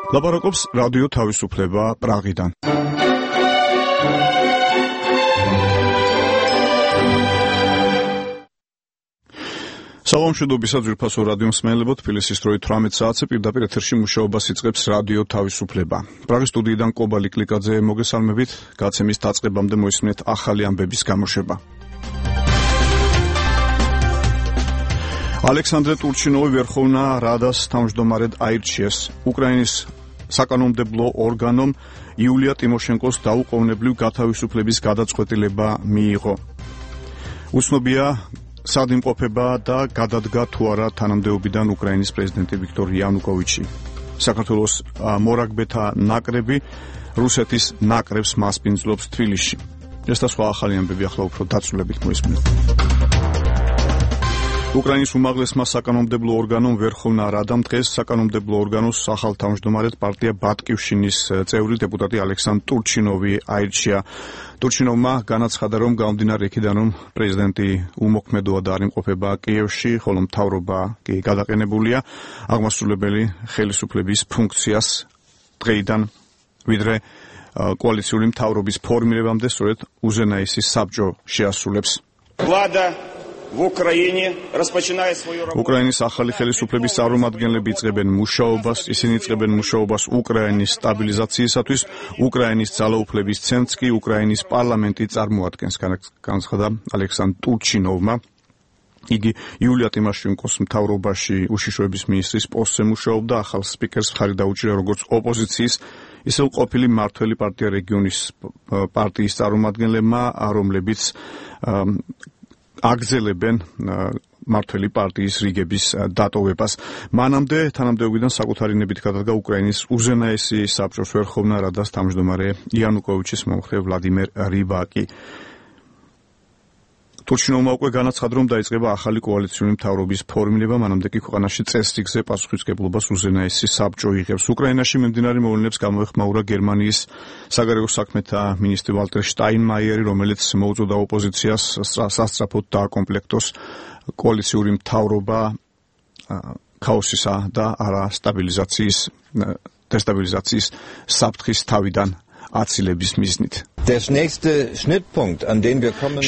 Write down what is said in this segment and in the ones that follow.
ლაპარაკობს რადიო თავისუფლება პრაღიდან. საღამოშიდობისა ძვირფასო რადიო მსმენელებო, თბილისის დროით 18 საათზე პირდაპირ ეთერში მუშაობას იწყებს რადიო თავისუფლება. პრაღის სტუდიიდან კობალი კლიკაძე მოგესალმებით, გაცემის დაწყებამდე მოისმინეთ ახალი ამბების გამოშვება. ალექსანდრე ტურჩინოვი ვერხოვნა რადას თავმჯდომარედ აირჩიეს. უკრაინის საკანონმდებლო ორგანომ იულია ტიმოშენკოს დაუყოვნებლივ გათავისუფლების გადაწყვეტილება მიიღო. უცნობია სად იმყოფება და გადადგა თუ არა თანამდებობიდან უკრაინის პრეზიდენტი ვიქტორ იანუკოვიჩი. საქართველოს მორაგბეთა ნაკრები რუსეთის ნაკრებს მასპინძლობს თბილისში. ეს და სხვა ახალი ამბები ახლა უფრო დაწვრილებით მოისმინეთ. უკრაინის უმაღლესმა საკანონმდებლო ორგანომ ვერხოვნა რადამ დღეს საკანონმდებლო ორგანოს ახალ თავმჯდომარედ პარტია ბატკივშინის წევრი დეპუტატი ალექსანდრე ტურჩინოვი აირჩია. ტურჩინოვმა განაცხადა, რომ გამომდინარე იქიდან, რომ პრეზიდენტი უმოქმედოა და არ იმყოფება კიევში, ხოლო მთავრობა კი გადაყენებულია, აღმასრულებელი ხელისუფლების ფუნქციას დღეიდან ვიდრე კოალიციური მთავრობის ფორმირებამდე სწორედ უზენაესი საბჭო შეასრულებს. უკრაინის ახალი ხელისუფლების წარმომადგენლები იწყებენ მუშაობას, ისინი იწყებენ მუშაობას უკრაინის სტაბილიზაციისათვის, უკრაინის ძალაუფლების ცენტრს კი უკრაინის პარლამენტი წარმოადგენს, განაცხადა ალექსანდრე ტურჩინოვმა. იგი იულია ტიმოშენკოს მთავრობაში უშიშროების მინისტრის პოსტზე მუშაობდა, ახალ სპიკერს მხარი დაუჭირა როგორც ოპოზიციის, ისე ყოფილი მმართველი პარტია რეგიონის პარტიის წარმომადგენლებმა, რომლებიც აგრძელებენ მმართველი პარტიის რიგების დატოვებას. მანამდე თანამდებობიდან საკუთარი ნებით გადადგა უკრაინის უზენაესი საბჭოს ვერხოვნა რადას თავმჯდომარე იანუკოვიჩის მომხრე ვლადიმერ რივაკი. ტურჩინოვმა უკვე განაცხადა, რომ დაიწყება ახალი კოალიციური მთავრობის ფორმირება, მანამდე კი ქვეყანაში წესრიგზე პასუხისმგებლობას უზენაესი საბჭო იღებს. უკრაინაში მიმდინარე მოვლენებს გამოეხმაურა გერმანიის საგარეო საქმეთა მინისტრი ვალტერ შტაინმაიერი, რომელიც მოუწოდა ოპოზიციას სასწრაფოდ დააკომპლექტოს კოალიციური მთავრობა ქაოსისა და დესტაბილიზაციის საფრთხის თავიდან აცილების მიზნით.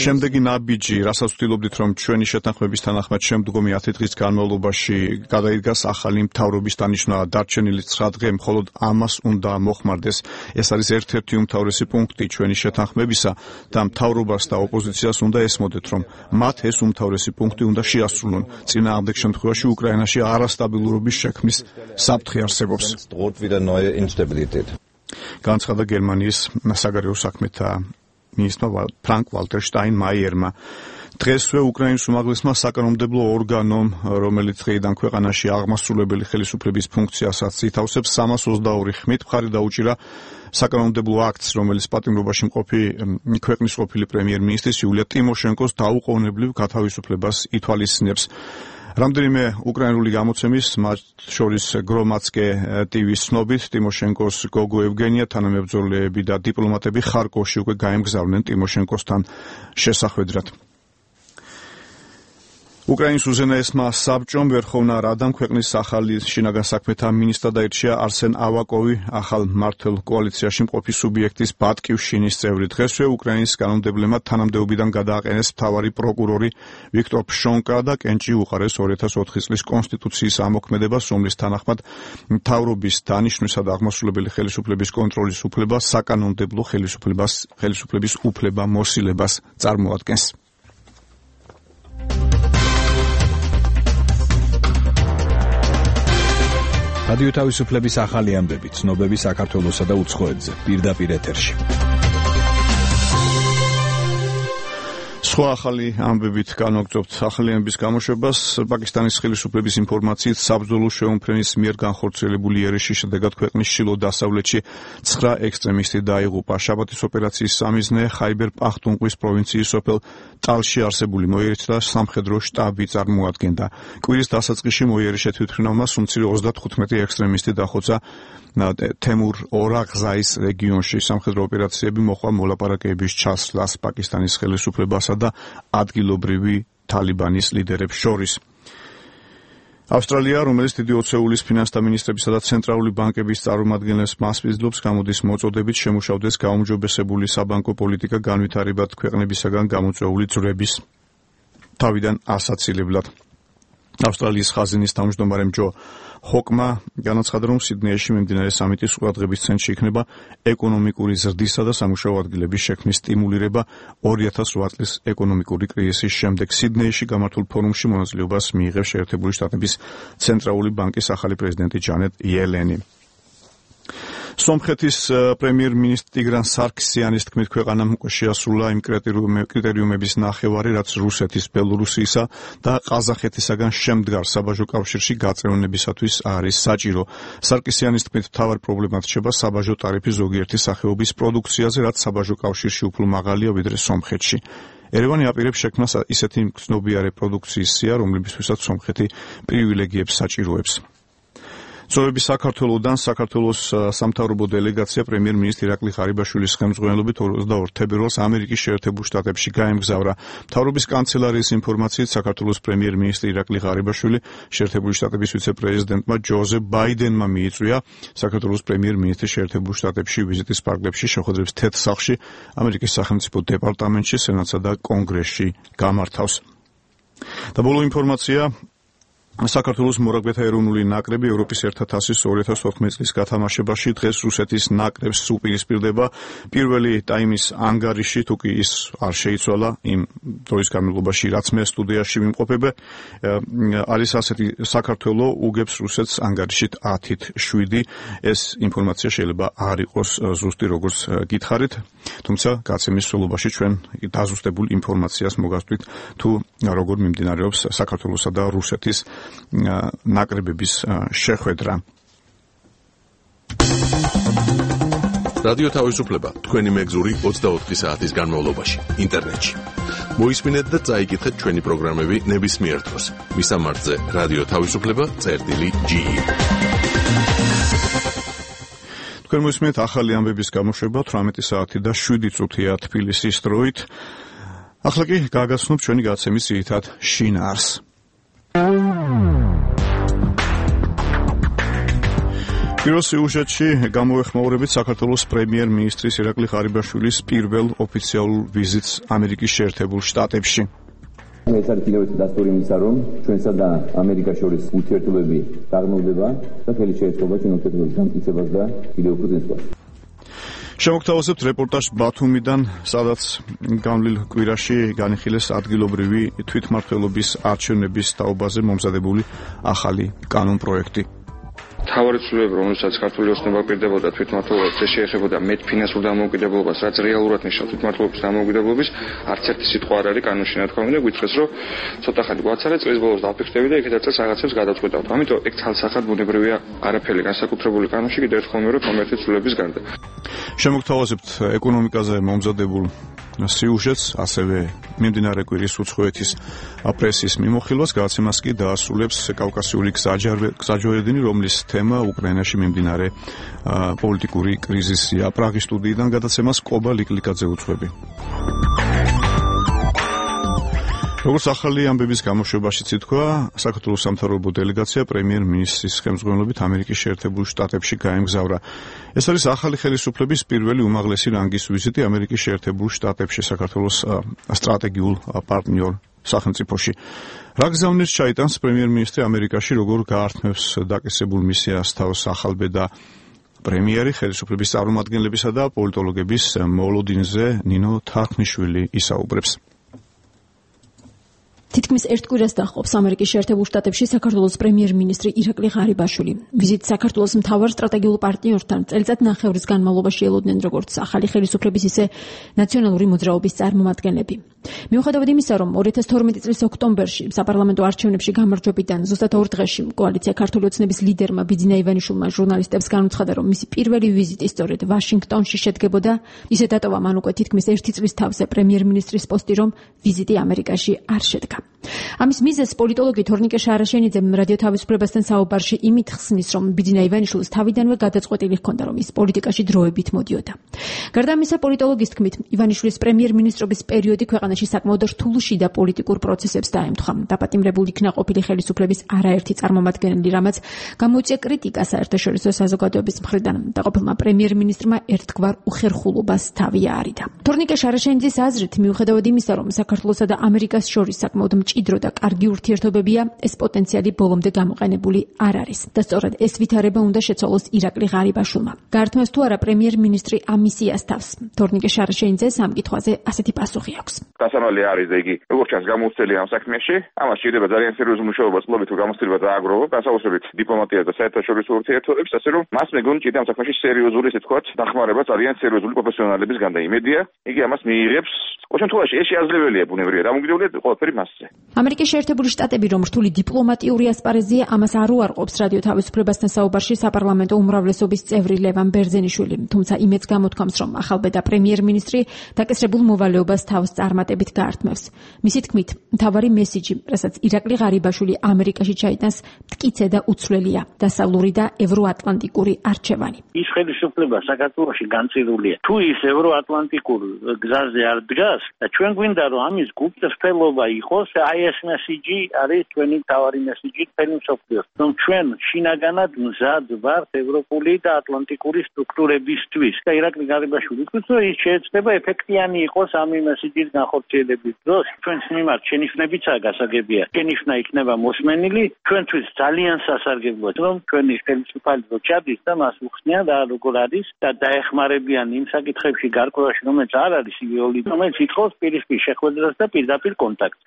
შემდეგი ნაბიჯი, რასაც ვთილობდით, რომ ჩვენი შეთანხმების თანახმად შემდგომი 10 დღის განმავლობაში გადაიდგას ახალი მთავრობის დანიშვნა დარჩენილი 9 დღე, მხოლოდ ამას უნდა მოხმარდეს. ეს არის ერთ-ერთი უმთავრესი პუნქტი ჩვენი შეთანხმებისა და მთავრობას და ოპოზიციას უნდა ესმოდეთ, რომ მათ ეს უმთავრესი პუნქტი უნდა შეასრულონ. წინააღმდეგ შემთხვევაში უკრაინაში არასტაბილურობის შექმნის საფრთხე არსებობს. განაცხადა გერმანიის საგარეო საქმეთა მინისტრმა ფრანკ ვალტერ შტაინმაიერმა. დღესვე უკრაინის უმაღლესმა საკანონმდებლო ორგანომ, რომელიც დღეიდან ქვეყანაში აღმასრულებელი ხელისუფლების ფუნქციასაც ითავსებს, 322 ხმით მხარი დაუჭირა საკანონმდებლო აქტს, რომელიც პატიმრობაში მყოფი ქვეყნის ყოფილი პრემიერ-მინისტრის იულია ტიმოშენკოს დაუყოვნებლივ გათავისუფლებას ითვალისწინებს. რამდენიმე უკრაინული გამოცემის, მათ შორის გრომაცკე ტივის ცნობით, ტიმოშენკოს გოგო ევგენია, თანამებრძოლეები და დიპლომატები ხარკოვში უკვე გაემგზავრნენ ტიმოშენკოსთან შესახვედრად. უკრაინის უზენაესმა საბჭომ ვერხოვნა რადამ ქვეყნის ახალი შინაგან საქმეთა მინისტრად აირჩია არსენ ავაკოვი, ახალ მმართველ კოალიციაში მყოფი სუბიექტის ბატკივშინის წევრი. დღესვე უკრაინის კანონმდებლებმა თანამდებობიდან გადააყენეს მთავარი პროკურორი ვიქტორ ფშონკა და კენჭი უყარეს 2004 წლის კონსტიტუციის ამოქმედებას, რომლის თანახმად მთავრობის დანიშვნისა და აღმასრულებელი ხელისუფლების კონტროლის უფლება საკანონმდებლო ხელისუფლების უფლება მოსილებას წარმოადგენს. რადიო თავისუფლების ახალი ამბები, ცნობები საქართველოსა და უცხოეთზე, პირდაპირ ეთერში. სხვა ახალი ამბებით განვაგრძობთ ახალი ამბების გამოშვებას. პაკისტანის ხელისუფლების ინფორმაციით, საბრძოლო შეუმფრენის მიერ განხორციელებული იერიშის შედეგად ქვეყნის ჩრდილო-დასავლეთში 9 ექსტრემისტი დაიღუპა. შაბათის ოპერაციის სამიზნე ხაიბერ პახტუნყვის პროვინციის სოფელ ტალში არსებული მოიერიშე და სამხედრო შტაბი წარმოადგენდა. კვირის დასაწყისში მოიერიშე თვითმფრინავმა სუმცირე 35 ექსტრემისტი დახოცა თემურ ორაღზაის რეგიონში. სამხედრო ოპერაციები მოჰყვა მოლაპარაკებების ჩასვლას პაკისტანის ხელისუფლებასა და ადგილობრივი თალიბანის ლიდერებს შორის. ავსტრალია, რომელიც დიდი ოცეულის ფინანსთა მინისტრებისა და ცენტრალური ბანკების წარმომადგენლებს მასპინძლობს, გამოდის მოწოდებით შემუშავდეს გაუმჯობესებული საბანკო პოლიტიკა განვითარებად ქვეყნებისაგან გამოწვეული ძვრების თავიდან ასაცილებლად. ავსტრალიის ხაზინის თავმჯდომარემ ჯო ჰოკმა განაცხადა, რომ სიდნეიში მიმდინარე სამიტის ყურადღების ცენტრში იქნება ეკონომიკური ზრდისა და სამუშაო ადგილების შექმნის სტიმულირება 2008 წლის ეკონომიკური კრიზისის შემდეგ. სიდნეიში გამართულ ფორუმში მონაწილეობას მიიღებს შეერთებული შტატების ცენტრალური ბანკის ახალი პრეზიდენტი ჯანეტ იელენი. სომხეთის პრემიერ-მინისტრი ტიგრან სარქისიანის თქმით, ქვეყანამ შეასრულა იმ კრიტერიუმების ნახევარი, რაც რუსეთის, ბელორუსიისა და ყაზახეთისაგან შემდგარ საბაჟო კავშირში გაწევნებისათვის არის საჭირო. სარქისიანის თქმით, მთავარი პრობლემა რჩება საბაჟო ტარიფი ზოგიერთი სახეობის პროდუქციაზე, რაც საბაჟო კავშირში უფრო მაღალია ვიდრე სომხეთში. ერევანი აპირებს შექმნას ისეთი მგრძნობიარე პროდუქციის სია, რომლებისთვისაც სომხეთი პრივილეგიებს საჭიროებს. წვევების საქართველოდან საქართველოს სამთავრობო დელეგაცია პრემიერ-მინისტრი ირაკლი ღარიბაშვილის ხელმძღვანელობით 22 თებერვალს ამერიკის შეერთებულ შტატებში გაემგზავრა. მთავრობის კანცელარიის ინფორმაციით, საქართველოს პრემიერ-მინისტრი ირაკლი ღარიბაშვილი შეერთებული შტატების ვიცე-პრეზიდენტმა ჯოზეფ ბაიდენმა მიიწვია საქართველოს პრემიერ-მინისტრის შეერთებულ შტატებში ვიზიტის ფარგლებში შეხვედრებს თეთრ სახლში, ამერიკის სახელმწიფო დეპარტამენტში, სენატსა და კონგრესში გამართავს. და ბოლო ინფორმაცია საქართველოს მორაგბეთა ეროვნული ნაკრები ევროპის ერთა თასის 2014 წლის გათამაშებაში დღეს რუსეთის ნაკრებს უპირისპირდება. პირველი ტაიმის ანგარიში, თუ კი ის არ შეიცვალა იმ დროის განმავლობაში, რაც მე სტუდიაში ვიმყოფებ, არის ასეთი: საქართველო უგებს რუსეთს ანგარიშით 10-7. ეს ინფორმაცია შეიძლება არ იყოს ზუსტი, როგორც გითხარით, თუმცა გაცემის სრულობაში ჩვენ დაზუსტებულ ინფორმაციას მოგასწრით, თუ როგორ მიმდინარეობს საქართველოსა და რუსეთის ნაკრებების შეხვედრა. რადიო თავისუფლება თქვენი მეგზური 24 საათის განმავლობაში ინტერნეტში. მოისმინეთ და წაიკითხეთ ჩვენი პროგრამები ნებისმიერ დროს. მისამართზე რადიო თავისუფლება.ge. თქვენ მოისმინეთ ახალი ამბების გამოშვება 18 საათი და 7 წუთია თბილისის დროით. ახლა კი გაგაცნობ ჩვენი გაცემის ძირითად შინაარს. პირველ სიუჟეტში გამოეხმაურებით საქართველოს პრემიერ-მინისტრის ირაკლი ღარიბაშვილის პირველ ოფიციალურ ვიზიტს ამერიკის შეერთებულ შტატებში. ეს არის კიდევ ერთი დასტური იმისა, რომ ჩვენსა და ამერიკას შორის ურთიერთობები დაღმავდება და ხელი შეეწყობა ჩვენ ურთიერთობების დამტკიცებას და კიდევ უფრო წინსვლას. შემოგთავაზებთ რეპორტაჟს ბათუმიდან, სადაც განვლილ კვირაში განიხილეს ადგილობრივი თვითმმართველობის არჩევნების თაობაზე მომზადებული ახალი კანონპროექტი. თავარი ცვლილებები, რომელსაც ქართული ოცნება პირდებოდა თვითმმართველობაზე, შეეხებოდა მეტ ფინანსურ დამოუკიდებლობას, რაც რეალურად ნიშნავს თვითმმართველობის დამოუკიდებლობის, არც ერთი სიტყვა არ არის კანონში ნათქვამი და გითხრეს, რომ ცოტა ხანი გვაცარე, წლის ბოლოს დავფიქრდები და იქედაც რაღაცებს გადავწყვეტავთ. ამიტომ ეგ ცალსახად ბუნებრივია, არაფერი განსაკუთრებული კანონში კიდევ ერთხელ მე რომ კომერციული ცვლილებების გარდა. შემოგთავაზებთ ეკონომიკაზე მომზადებულ სიუჟეტს, ასევე მიმდინარე კვირის უცხოეთის პრესის მიმოხილვას, გადაცემას კი დაასრულებს კავკასიური გზაჯვარედინი, რომლის თემა უკრაინაში მიმდინარე პოლიტიკური კრიზისია. პრაღის სტუდიიდან გადაცემას კობა ლიკლიკაძე უძღვები. როგორც ახალი ამბების გამოშვებაშიც ითქვა, საქართველოს სამთავრობო დელეგაცია პრემიერ-მინისტრის ხელმძღვანელობით ამერიკის შეერთებულ შტატებში გაემგზავრა. ეს არის ახალი ხელისუფლების პირველი უმაღლესი რანგის ვიზიტი ამერიკის შეერთებულ შტატებში, საქართველოს სტრატეგიულ პარტნიორ სახელმწიფოში. რა გზავნილს ჩაიტანს პრემიერ-მინისტრი ამერიკაში, როგორ გაართმევს დაკისრებულ მისიას თავს ახალბედა პრემიერი, ხელისუფლების წარმომადგენლებისა და პოლიტოლოგების მოლოდინზე ნინო თარხნიშვილი ისაუბრებს. თითქმის ერთ კვირას დაჰყობს ამერიკის შეერთებულ შტატებში საქართველოს პრემიერ-მინისტრი ირაკლი ღარიბაშვილი. ვიზიტს საქართველოს მთავარ სტრატეგიულ პარტნიორთან წელიწად-ნახევრის განმავლობაში ელოდნენ როგორც ახალი ხელისუფლების, ისე ნაციონალური მოძრაობის წარმომადგენლები. მიუხედავად იმისა, რომ 2012 წლის ოქტომბერში საპარლამენტო არჩევნებში გამარჯვებიდან ზუსტად 2 დღეში კოალიცია ქართული ოცნების ლიდერმა ბიძინა ივანიშვილმა ჟურნალისტებს განუცხადა, რომ მისი პირველი ვიზიტი სწორედ ვაშინგტონში შედგებოდა, ისე დატოვა მან უკვე თითქმის 1 წლის თავზე პრემიერ-მინისტრის პოსტი, რომ ვიზიტი ამერიკაში არ შედგა. ამის მიზეზს პოლიტოლოგი თორნიკე შარაშენიძე რადიო თავისუფლებასთან საუბარში იმით ხსნის, რომ ბიძინა ივანიშვილს თავიდანვე გადაწყვეტილი ჰქონდა, რომ ის პოლიტიკაში დროებით მოდიოდა. გარდა ამისა, პოლიტოლოგის თქმით, ივანიშვილის პრემიერ-მინისტრობის პერიოდი ქვეყანას ქვეყანაში საკმაოდ რთულ შიდა პოლიტიკურ პროცესებს დაემთხვა. დაპატიმრებული იქნა ყოფილი ხელისუფლების არაერთი წარმომადგენელი, რამაც გამოიწვია კრიტიკა საერთაშორისო საზოგადოების მხრიდან და ყოფილმა პრემიერ-მინისტრმა ერთგვარ უხერხულობას თავი აარიდა. თორნიკე შარაშენიძის აზრით, მიუხედავად იმისა, რომ საქართველოსა და ამერიკას შორის საკმაოდ მჭიდრო და კარგი ურთიერთობებია, ეს პოტენციალი ბოლომდე გამოყენებული არ არის და სწორედ ეს ვითარება უნდა შეცვალოს ირაკლი ღარიბაშვილმა. გაართმევს თუ არა პრემიერ-მინისტრი ამ მისიას თავს? თორნიკე შარაშენიძეს ამ კითხვაზე ასეთი პასუხი აქვს. დასამალი არის და იგი როგორც ჩანს გამოუცდელი ამ საქმეში, ამას შეიძლება ძალიან სერიოზული მუშაობა სლობით თუ გამოცდილება დააგროვო, განსაკუთრებით დიპლომატიას და საერთაშორისო ურთიერთობებს, ასე რომ მას მეგონი ჭირდება ამ საქმეში სერიოზული, ესე ვთქვათ, დახმარება ძალიან სერიოზული პროფესიონალების გან და იმედია, იგი ამას მიიღებს. ოჩემთხვევაში ეს შეაძლებელია ბუნებრივია, დამოუკიდებლია ყველაფერი მასზე. ამერიკის შეერთებული შტატები რომ რთული დიპლომატიური ასპარეზია, ამას არ უარყოფს რადიო თავისუფლებასთან საუბარში საპარლამენტო უმრავლესობის წევრი ლევან ბერძენიშვილი, თუმცა იმედს გამოთქვამს, რომ ახალბედა პრემიერ-მინისტრი დაკისრებულ მოვალეობას თავს წარმატებით გაართმევს. მისი თქმით, მთავარი მესიჯი, რასაც ირაკლი ღარიბაშვილი ამერიკაში ჩაიტანს, მტკიცე და უცვლელია, დასავლური და ევროატლანტიკური არჩევანი. ის ხელისუფლება საქართველოში განცილულია. თუ ის ევროატლანტიკურ გზაზე არ დგას და ჩვენ გვინდა რომ ამის გულწრფელობა იყოს, აი ეს მესიჯი არის ჩვენი მთავარი მესიჯი მთელი მსოფლიოს. რომ ჩვენ შინაგანად მზად ვართ ევროპული და ატლანტიკური სტრუქტურებისთვის. და ირაკლი ღარიბაშვილი თვითონ რომ ის შეიძლება ეფექტიანი იყოს ამ მესიჯის განხორციელების დროს. ჩვენს მიმართ შენიშვნებიცაა გასაგებია. შენიშვნა იქნება მოსმენილი, ჩვენთვის ძალიან სასარგებლოა, რომ ჩვენი ხელისუფალი რო ჩადის და მას უხსნიან და როგორ არის და დაეხმარებიან იმ საკითხებში გარკვევაში, რომელიც არ არის იდეოლოგიური, რომელიც ითხოვს პირისპირ შეხვედრას და პირდაპირ კონტაქტს.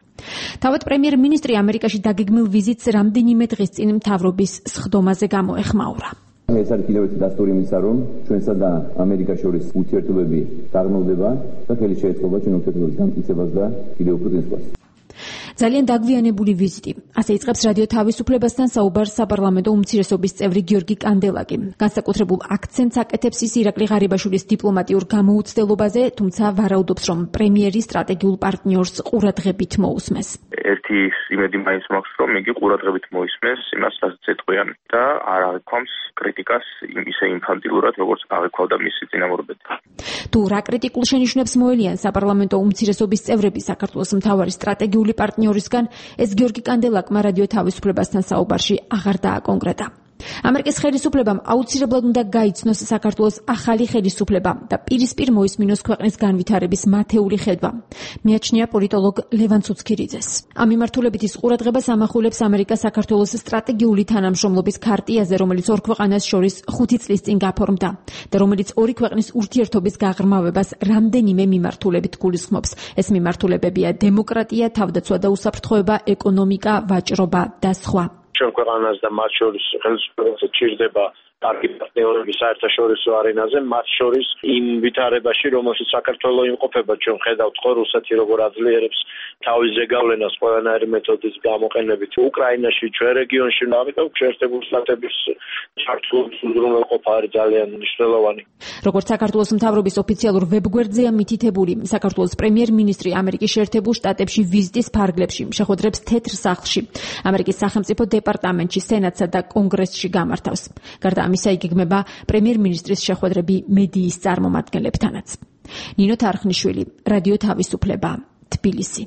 თავად პრემიერ-მინისტრი ამერიკაში დაგეგმილ ვიზიტს რამდენიმე დღის წინ მთავრობის სხდომაზე გამოეხმაურა. ეს არის კიდევ ერთი დასტური იმისა, რომ ჩვენსა და ამერიკას შორის ურთიერთობები დაღმავდება და ხელი შეეწყობა ჩვენ ურთიერთობების დამტკიცებას და კიდევ უფრო წინსვლას. ძალიან დაგვიანებული ვიზიტი. ასე იწყებს რადიო თავისუფლებასთან საუბარს საპარლამენტო უმცირესობის წევრი გიორგი კანდელაკი. განსაკუთრებულ აქცენტს აკეთებს ის ირაკლი ღარიბაშვილის დიპლომატიურ გამოუცდელობაზე, თუმცა ვარაუდობს, რომ პრემიერი სტრატეგიულ პარტნიორს ყურადღებით მოусმეს. ერთი იმედი მაინც მაქვს, რომ იგი ყურადღებით მოისმენს იმას, რასაც ეტყვიან და არ აღიქვამს კრიტიკას ისე ინფანტილურად, როგორც აღიქვავდა მისი წინამორბედი. თუ რა კრიტიკულ შენიშვნებს მოელიან საპარლამენტო უმცირესობის წევრები საქართველოს მთავარი სტრატეგიული პარტნიორისგან, ეს გიორგი კანდელაკმა რადიო თავისუფლებასთან საუბარში აღარ დააკონკრეტა. ამერიკის ხელისუფლებამ აუცილებლად უნდა გაიცნოს საქართველოს ახალი ხელისუფლება და პირისპირ მოისმინოს ქვეყნის განვითარების მათეული ხედვა. მიაჩნია პოლიტოლოგ ლევან ცუცქირიძეს. ამ მიმართულებით ის ყურადღებას ამახვილებს ამერიკა საქართველოს სტრატეგიული თანამშრომლობის ქარტიაზე, რომელიც ორ ქვეყანას შორის 5 წლის წინ გაფორმდა და რომელიც ორი ქვეყნის ურთიერთობის გაღრმავებას რამდენიმე მიმართულებით გულისხმობს. ეს მიმართულებებია დემოკრატია, თავდაცვა და უსაფრთხოება, ეკონომიკა, ვაჭრობა და სხვა. ჩვენ ქვეყანას და მათ შორის ხელისუფლებას ჭირდება კარგი პარტნიორები საერთაშორისო არენაზე, მათ შორის იმ ვითარებაში, რომელშიც საქართველოს იმყოფება, ჩვენ ხედავთ ხო რუსეთი როგორ აძლიერებს თავის ზეგავლენას ყველანაირი მეთოდის გამოყენებით უკრაინაში, ჩვენ რეგიონში, ამიტომ შეერთებული შტატების ჩართულობის უზრუნველყოფა არის ძალიან მნიშვნელოვანი. როგორც საქართველოს მთავრობის ოფიციალურ ვებგვერდზეა მითითებული, საქართველოს პრემიერ-მინისტრი ამერიკის შეერთებულ შტატებში ვიზიტის ფარგლებში შეხვედრებს თეთრ სახლში, ამერიკის სახელმწიფო დეპარტამენტში, სენატსა და კონგრესში გამართავს. გარდა ამისა იგეგმება პრემიერ-მინისტრის შეხვედრები მედიის წარმომადგენლებთანაც. ნინო თარხნიშვილი, რადიო თავისუფლება, თბილისი.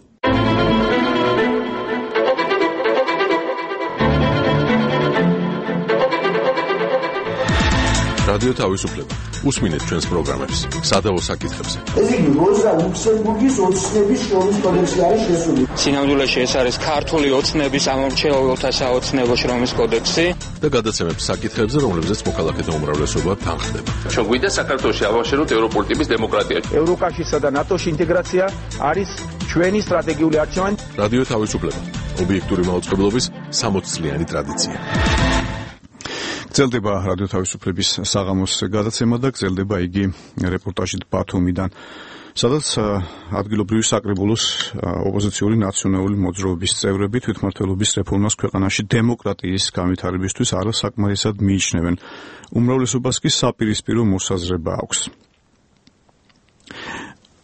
რადიო თავისუფლება. უსმინეთ ჩვენს პროგრამებს, სადავო საკითხებზე. ეს იგი როზა ლუქსემბურგის ოცნების შრომის კოდექსი არის შესული. სინამდვილეში ეს არის ქართული ოცნების ამორჩეულთა საოცნებო შრომის კოდექსი და გადაცემებს საკითხებზე, რომლებზეც მოქალაქეთა უმრავლესობა თანხდება. ჩვენ გვინდა საქართველოში ავაშენოთ ევროპული ტიპის დემოკრატია. ევროკავშირსა და ნატოს ინტეგრაცია არის ჩვენი სტრატეგიული არჩევანი. რადიო თავისუფლება. ობიექტური მაუწყებლობის 60 წლიანი ტრადიცია. გრძელდება რადიო თავისუფლების საღამოს გადაცემა და გრძელდება იგი რეპორტაჟით ბათუმიდან, სადაც ადგილობრივი საკრებულოს ოპოზიციური ნაციონალური მოძრაობის წევრები თვითმმართველობის რეფორმას ქვეყანაში დემოკრატიის განვითარებისთვის არასაკმარისად მიიჩნევენ. უმრავლესობას კი საპირისპირო მოსაზრება აქვს.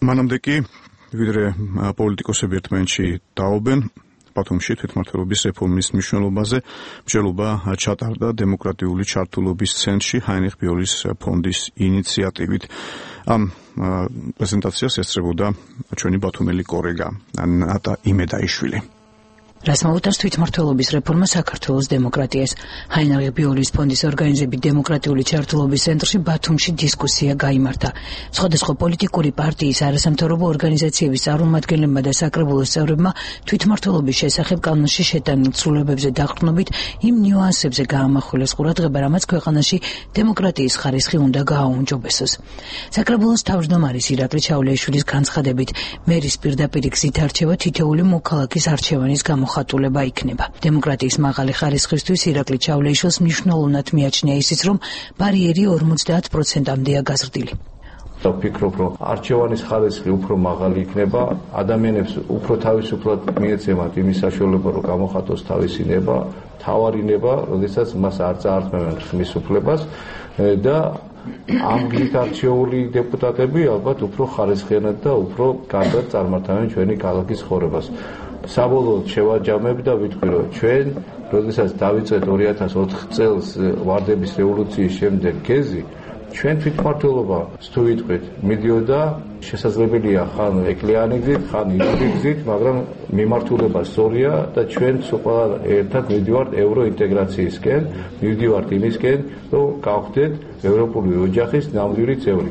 მანამდე კი ვიდრე პოლიტიკოსები ერთმანეთში დაობენ, ბათუმში თვითმმართველობის რეფორმის მნიშვნელობაზე მსჯელობა ჩატარდა დემოკრატიული ჩართულობის ცენტრში ჰაინრიხ ბიოლის ფონდის ინიციატივით. ამ პრეზენტაციას ესწრებოდა ჩვენი ბათუმელი კოლეგა ნატა იმედაიშვილი. რას მოუწევს თვითმმართველობის რეფორმა საქართველოს დემოკრატიას. ჰაინრიხ ბიოლის ფონდის ორგანიზებით დემოკრატიული ჩართულობის ცენტრში ბათუმში დისკუსია გაიმართა. სხვადასხვა პოლიტიკური პარტიის, არასამთავრობო ორგანიზაციების წარმომადგენლებმა და საკრებულოს წევრებმა თვითმმართველობის შესახებ კანონში შეტანილ ცვლილებებზე დაყრდნობით იმ ნიუანსებზე გაამახვილეს ყურადღება, რამაც ქვეყანაში დემოკრატიის ხარისხი უნდა გააუმჯობესოს. საკრებულოს თავმჯდომარის ირაკლი ჩავლეიშვილის განცხადებით, მერის პირდაპირ გზით არჩევა თითოეული მოქალაქის არჩევანის გამოხატულება იქნება. დემოკრატიის მაღალი ხარისხისთვის ირაკლი ჩავლეიშვილს მნიშვნელოვნად მიაჩნია ისიც, რომ ბარიერი 50%-მდეა გაზრდილი. ვფიქრობ, რომ არჩევანის ხარისხი უფრო მაღალი იქნება, ადამიანებს უფრო თავისუფლად მიეცემათ იმის საშუალება, რომ გამოხატოს თავისი ნება, თავარი ნება, როდესაც მას არ წაართმევენ ხმის უფლებას და ამ გზით არჩეული დეპუტატები ალბათ უფრო ხარისხიანად და უფრო კარგად წარმართავენ ჩვენი ქალაქის ცხოვრებას. საბოლოოდ შევაჯამებ და ვიტყვი, რომ ჩვენ, როდესაც დავიწყეთ 2004 წელს ვარდების რევოლუციის შემდეგ გეზი, ჩვენ თვითმმართველობა, თუ ვიტყვით, მიდიოდა შესაძლებელია ხან ეკლიანი გზით, ხან ირადი გზით, მაგრამ მიმართულება სწორია და ჩვენ ყველა ერთად მივდივართ ევროინტეგრაციისკენ, მივდივართ იმისკენ, რომ გავხდეთ ევროპული ოჯახის ნამდვილი წევრი.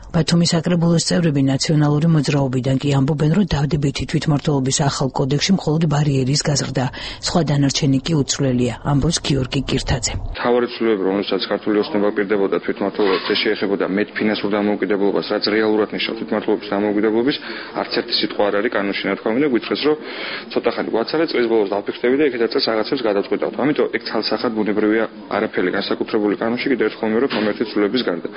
ბათუმის საკრებულოს წევრები ნაციონალური მოძრაობიდან კი ამბობენ, რომ დადებითი თვითმმართველობის ახალ კოდექსში მხოლოდ ბარიერის გაზრდა, სხვა დანარჩენი კი უცვლელია, ამბობს გიორგი კირთაძე. მთავარი ცვლილებები, რომელსაც ქართული ოცნება პირდებოდა თვითმმართველობაზე, შეეხებოდა მეტ ფინანსურ დამოუკიდებლობას, რაც რეალურად ნიშნავს თვითმმართველობის დამოუკიდებლობის, არც ერთი სიტყვა არ არის კანონში ნათქვამი და გითხრეს, რომ ცოტა ხანი გვაცალე, წლის ბოლოს დავფიქრდები და იქედაც რაღაცებს გადავწყვეტავთ. ამიტომ ეგ ცალსახად ბუნებრივია, არაფერი განსაკუთრებული კანონში კიდევ ერთხელ მე რომ მომერთი ცვლილებების გარდა.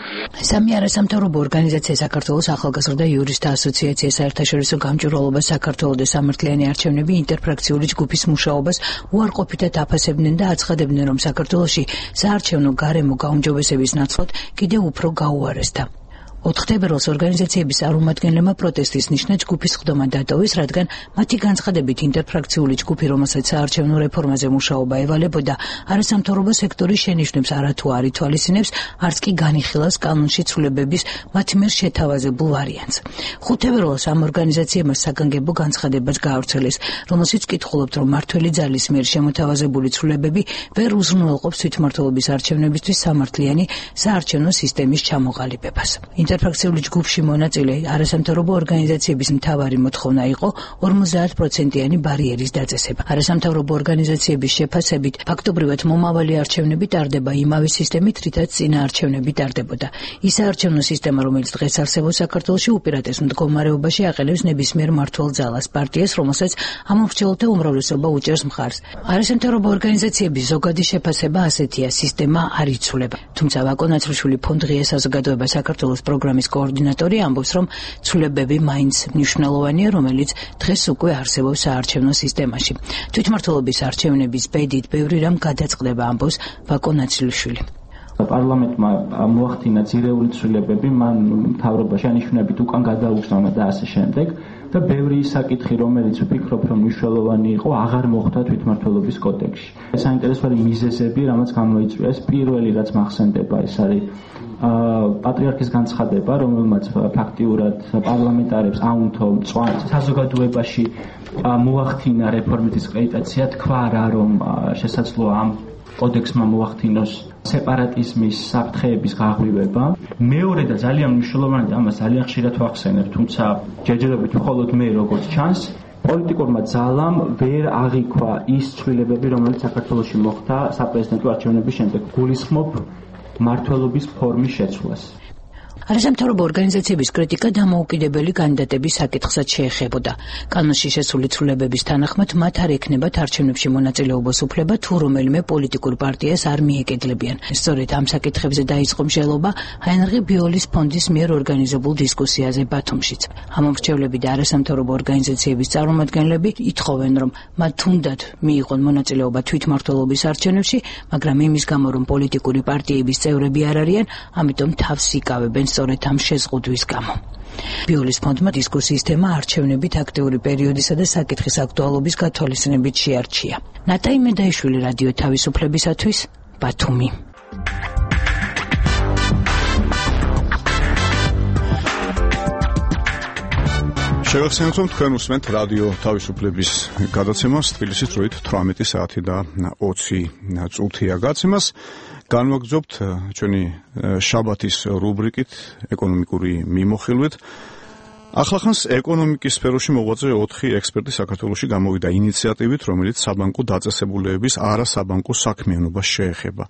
სამი არასამთავრობო ორგანიზაცია საქართველოს ახალგაზრდა იურისტთა ასოციაცია, საერთაშორისო გამჭვირვალობა საქართველოს და სამართლიანი არჩევნები ინტერფრაქციული ჯგუფის მუშაობას უარყოფითად აფასებდნენ და აცხადებდნენ, რომ საქართველოში საარჩევნო გარემო გაუმჯობესების ნაცვლად კიდევ უფრო გაუარესდა. 4 თებერვალს ორგანიზაციების წარმომადგენლებმა პროტესტის ნიშნად ჯგუფის ხდომა დატოვეს, რადგან მათი განცხადებით ინტერფრაქციული ჯგუფი, რომელსაც საარჩევნო რეფორმაზე მუშაობა ევალებოდა, არასამთავრობო სექტორის შენიშვნებს არათუ არ ითვალისწინებს, არც კი განიხილავს კანონში ცვლილებების მათ მიერ შეთავაზებულ ვარიანტს. 5 თებერვალს ამ ორგანიზაციებმა საგანგებო განცხადებაც გაავრცელეს, რომელშიც კითხულობთ, რომ მართველი ძალის მიერ შემოთავაზებული ცვლილებები ვერ უზრუნველყოფს თვითმმართველობის არჩევნებისთვის სამართლიანი საარჩევნო სისტემის ჩამოყალიბებას. ინტერფრაქციული ჯგუფში მონაწილე არასამთავრობო ორგანიზაციების მთავარი მოთხოვნა იყო 50%-იანი ბარიერის დაწესება. არასამთავრობო ორგანიზაციების შეფასებით, ფაქტობრივად მომავალი არჩევნები ტარდება იმავე სისტემით, რითაც წინა არჩევნები ტარდებოდა. ის საარჩევნო სისტემა, რომელიც დღეს არსებობს საქართველოში, უპირატეს მდგომარეობაში აყენებს ნებისმიერ მმართველ ძალას, პარტიას, რომელსაც ამომრჩეველთა უმრავლესობა უჭერს მხარს. არასამთავრობო ორგანიზაციების ზოგადი შეფასება ასეთია: სისტემა არ იცვლება. თუმცა ვაკო ნაცრუშვილი ფონდ ღია საზოგადოება საქართველოს პროგრამის კოორდინატორი ამბობს, რომ ცვლილებები მაინც მნიშვნელოვანია, რომელიც დღეს უკვე არსებობს საარჩევნო სისტემაში. თვითმმართველობის არჩევნების ბედით ბევრი რამ გადაწყდება, ამბობს ვაკო ნაცრუშვილი. პარლამენტმა მოახდინა ძირეული ცვლილებები, მან მთავრობაში ანიშნებით უკან გადაუგზავნა და ასე შემდეგ და ბევრი საკითხი, რომელიც ვფიქრობ, რომ მნიშვნელოვანი იყო, აღარ მოხდა თვითმმართველობის კოდექსში. საინტერესოა მიზეზები, რამაც გამოიწვია. ეს პირველი, რაც მახსენდება, ეს არის პატრიარქის განცხადება, რომელმაც ფაქტიურად პარლამენტარებს აუნთო საზოგადოებაში მოახდინა რეფორმის კრედიტაცია, თქვა რა, რომ შესაძლოა ამ კოდექსმა მოახდინოს სეპარატიზმის საფრთხეების გაღვივება. მეორე და ძალიან მნიშვნელოვანი და ამას ძალიან ხშირად ვახსენებ, თუმცა ჯერჯერობით მხოლოდ მე როგორც ჩანს, პოლიტიკურმა ძალამ ვერ აღიქვა ის ცვლილებები, რომელიც საქართველოში მოხდა საპრეზიდენტო არჩევნების შემდეგ. გულისხმობ მმართველობის ფორმის შეცვლას. არასამთავრობო ორგანიზაციების კრიტიკა დამოუკიდებელი კანდიდატების საკითხსაც შეეხებოდა. კანონში შესული ცვლილებების თანახმად მათ არ ექნებათ არჩევნებში მონაწილეობის უფლება, თუ რომელიმე პოლიტიკურ პარტიას არ მიეკედლებიან. სწორედ ამ საკითხებზე დაიწყო მსჯელობა ჰაინრიხ ბიოლის ფონდის მიერ ორგანიზებულ დისკუსიაზე ბათუმშიც. ამომრჩევლები და არასამთავრობო ორგანიზაციების წარმომადგენლები ითხოვენ, რომ მათ თუნდაც მიიღონ მონაწილეობა თვითმმართველობის არჩევნებში, მაგრამ იმის გამო, რომ პოლიტიკური პარტიების წევრები არ არიან, ამიტომ თავს იკავებენ სწორედ ამ შეზღუდვის გამო. ბიოლის ფონდმა დისკუსიის თემა არჩევნებით აქტიური პერიოდისა და საკითხის აქტუალობის გათვალისწინებით შეარჩია. ნატაი მედაიშვილი, რადიო თავისუფლებისათვის, ბათუმი. შევახსენებთ, რომ თქვენ უსმენთ რადიო თავისუფლების გადაცემას, თბილისის დროით 18 საათი და 20 წუთია გაცემას. განვაგრძობთ ჩვენი შაბათის რუბრიკით ეკონომიკური მიმოხილვით. ახლახანს ეკონომიკის სფეროში მოღვაწე 4 ექსპერტი საქართველოში გამოვიდა ინიციატივით, რომელიც საბანკო დაწესებულებების არასაბანკო საქმიანობას შეეხება.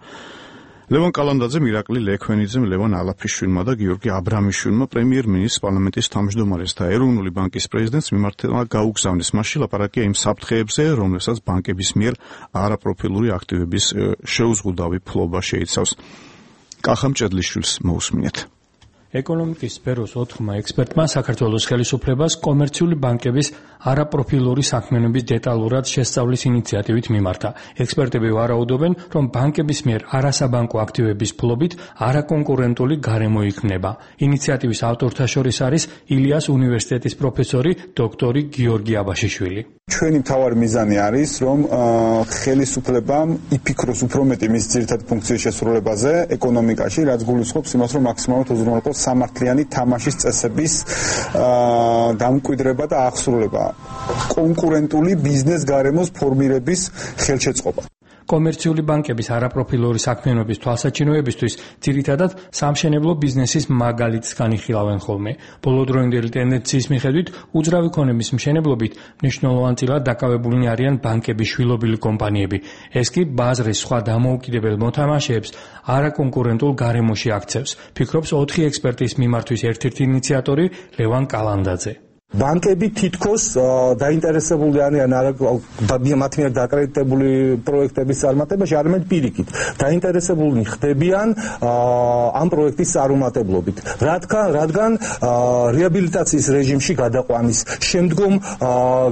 ლევან კალანდაძე, მირაკლი ლექვენიძემ, ლევან ალაფიშვილმა და გიორგი აბრამიშვილმა პრემიერ-მინისტრს, პარლამენტის თავმჯდომარეს და ეროვნული ბანკის პრეზიდენტს მიმართება გაუგზავნეს. მასში ლაპარაკია იმ საფრთხეებზე, რომლებსაც ბანკების მიერ არაპროფილური აქტივების შეუზღუდავი ფლობა შეიცავს. კახამ ჭედლიშვილს მოусმინეთ. ეკონომიკის სფეროს 4 ექსპერტმა საქართველოს ხელისუფლებას კომერციული ბანკების არაპროფილური საქმიანობის დეტალურად შესწავლის ინიციატივით მიმართა. ექსპერტები ვარაუდობენ, რომ ბანკების მიერ არასაბანკო აქტივების ფლობით არაკონკურენტული გარემო იქმნება. ინიციატივის ავტორთა შორის არის ილიას უნივერსიტეტის პროფესორი დოქტორი გიორგი აბაშიშვილი. ჩვენი მთავარი მიზანი არის, რომ ხელისუფლებამ იფიქროს უფრო მეტი მის ძირითად ფუნქციის შესრულებაზე ეკონომიკაში, რაც გულისხმობს იმას, რომ მაქსიმალურად უზრუნველყოს სამართლიანი თამაშის წესების დამკვიდრება და აღსრულება, კონკურენტული ბიზნეს გარემოს ფორმირების ხელშეწყობა. კომერციული ბანკების არაპროფილური საქმიანობის თვალსაჩინოებისთვის ძირითადად სამშენებლო ბიზნესის მაგალითს განიხილავენ ხოლმე. ბოლოდროინდელი ტენდენციის მიხედვით უძრავი ქონების მშენებლობით მნიშვნელოვანწილად დაკავებულნი არიან ბანკების შვილობილი კომპანიები. ეს კი ბაზრის სხვა დამოუკიდებელ მოთამაშეებს არაკონკურენტულ გარემოში აქცევს, ფიქრობს 4 ექსპერტის მიმართვის ერთ-ერთი ინიციატორი ლევან კალანდაძე. ბანკები თითქოს დაინტერესებული არიან მათ მიერ დაკრედიტებული პროექტების წარმატებაში, არამედ პირიქით დაინტერესებული ხდებიან ამ პროექტის წარუმატებლობით, რადგან რეაბილიტაციის რეჟიმში გადაყვანის, შემდგომ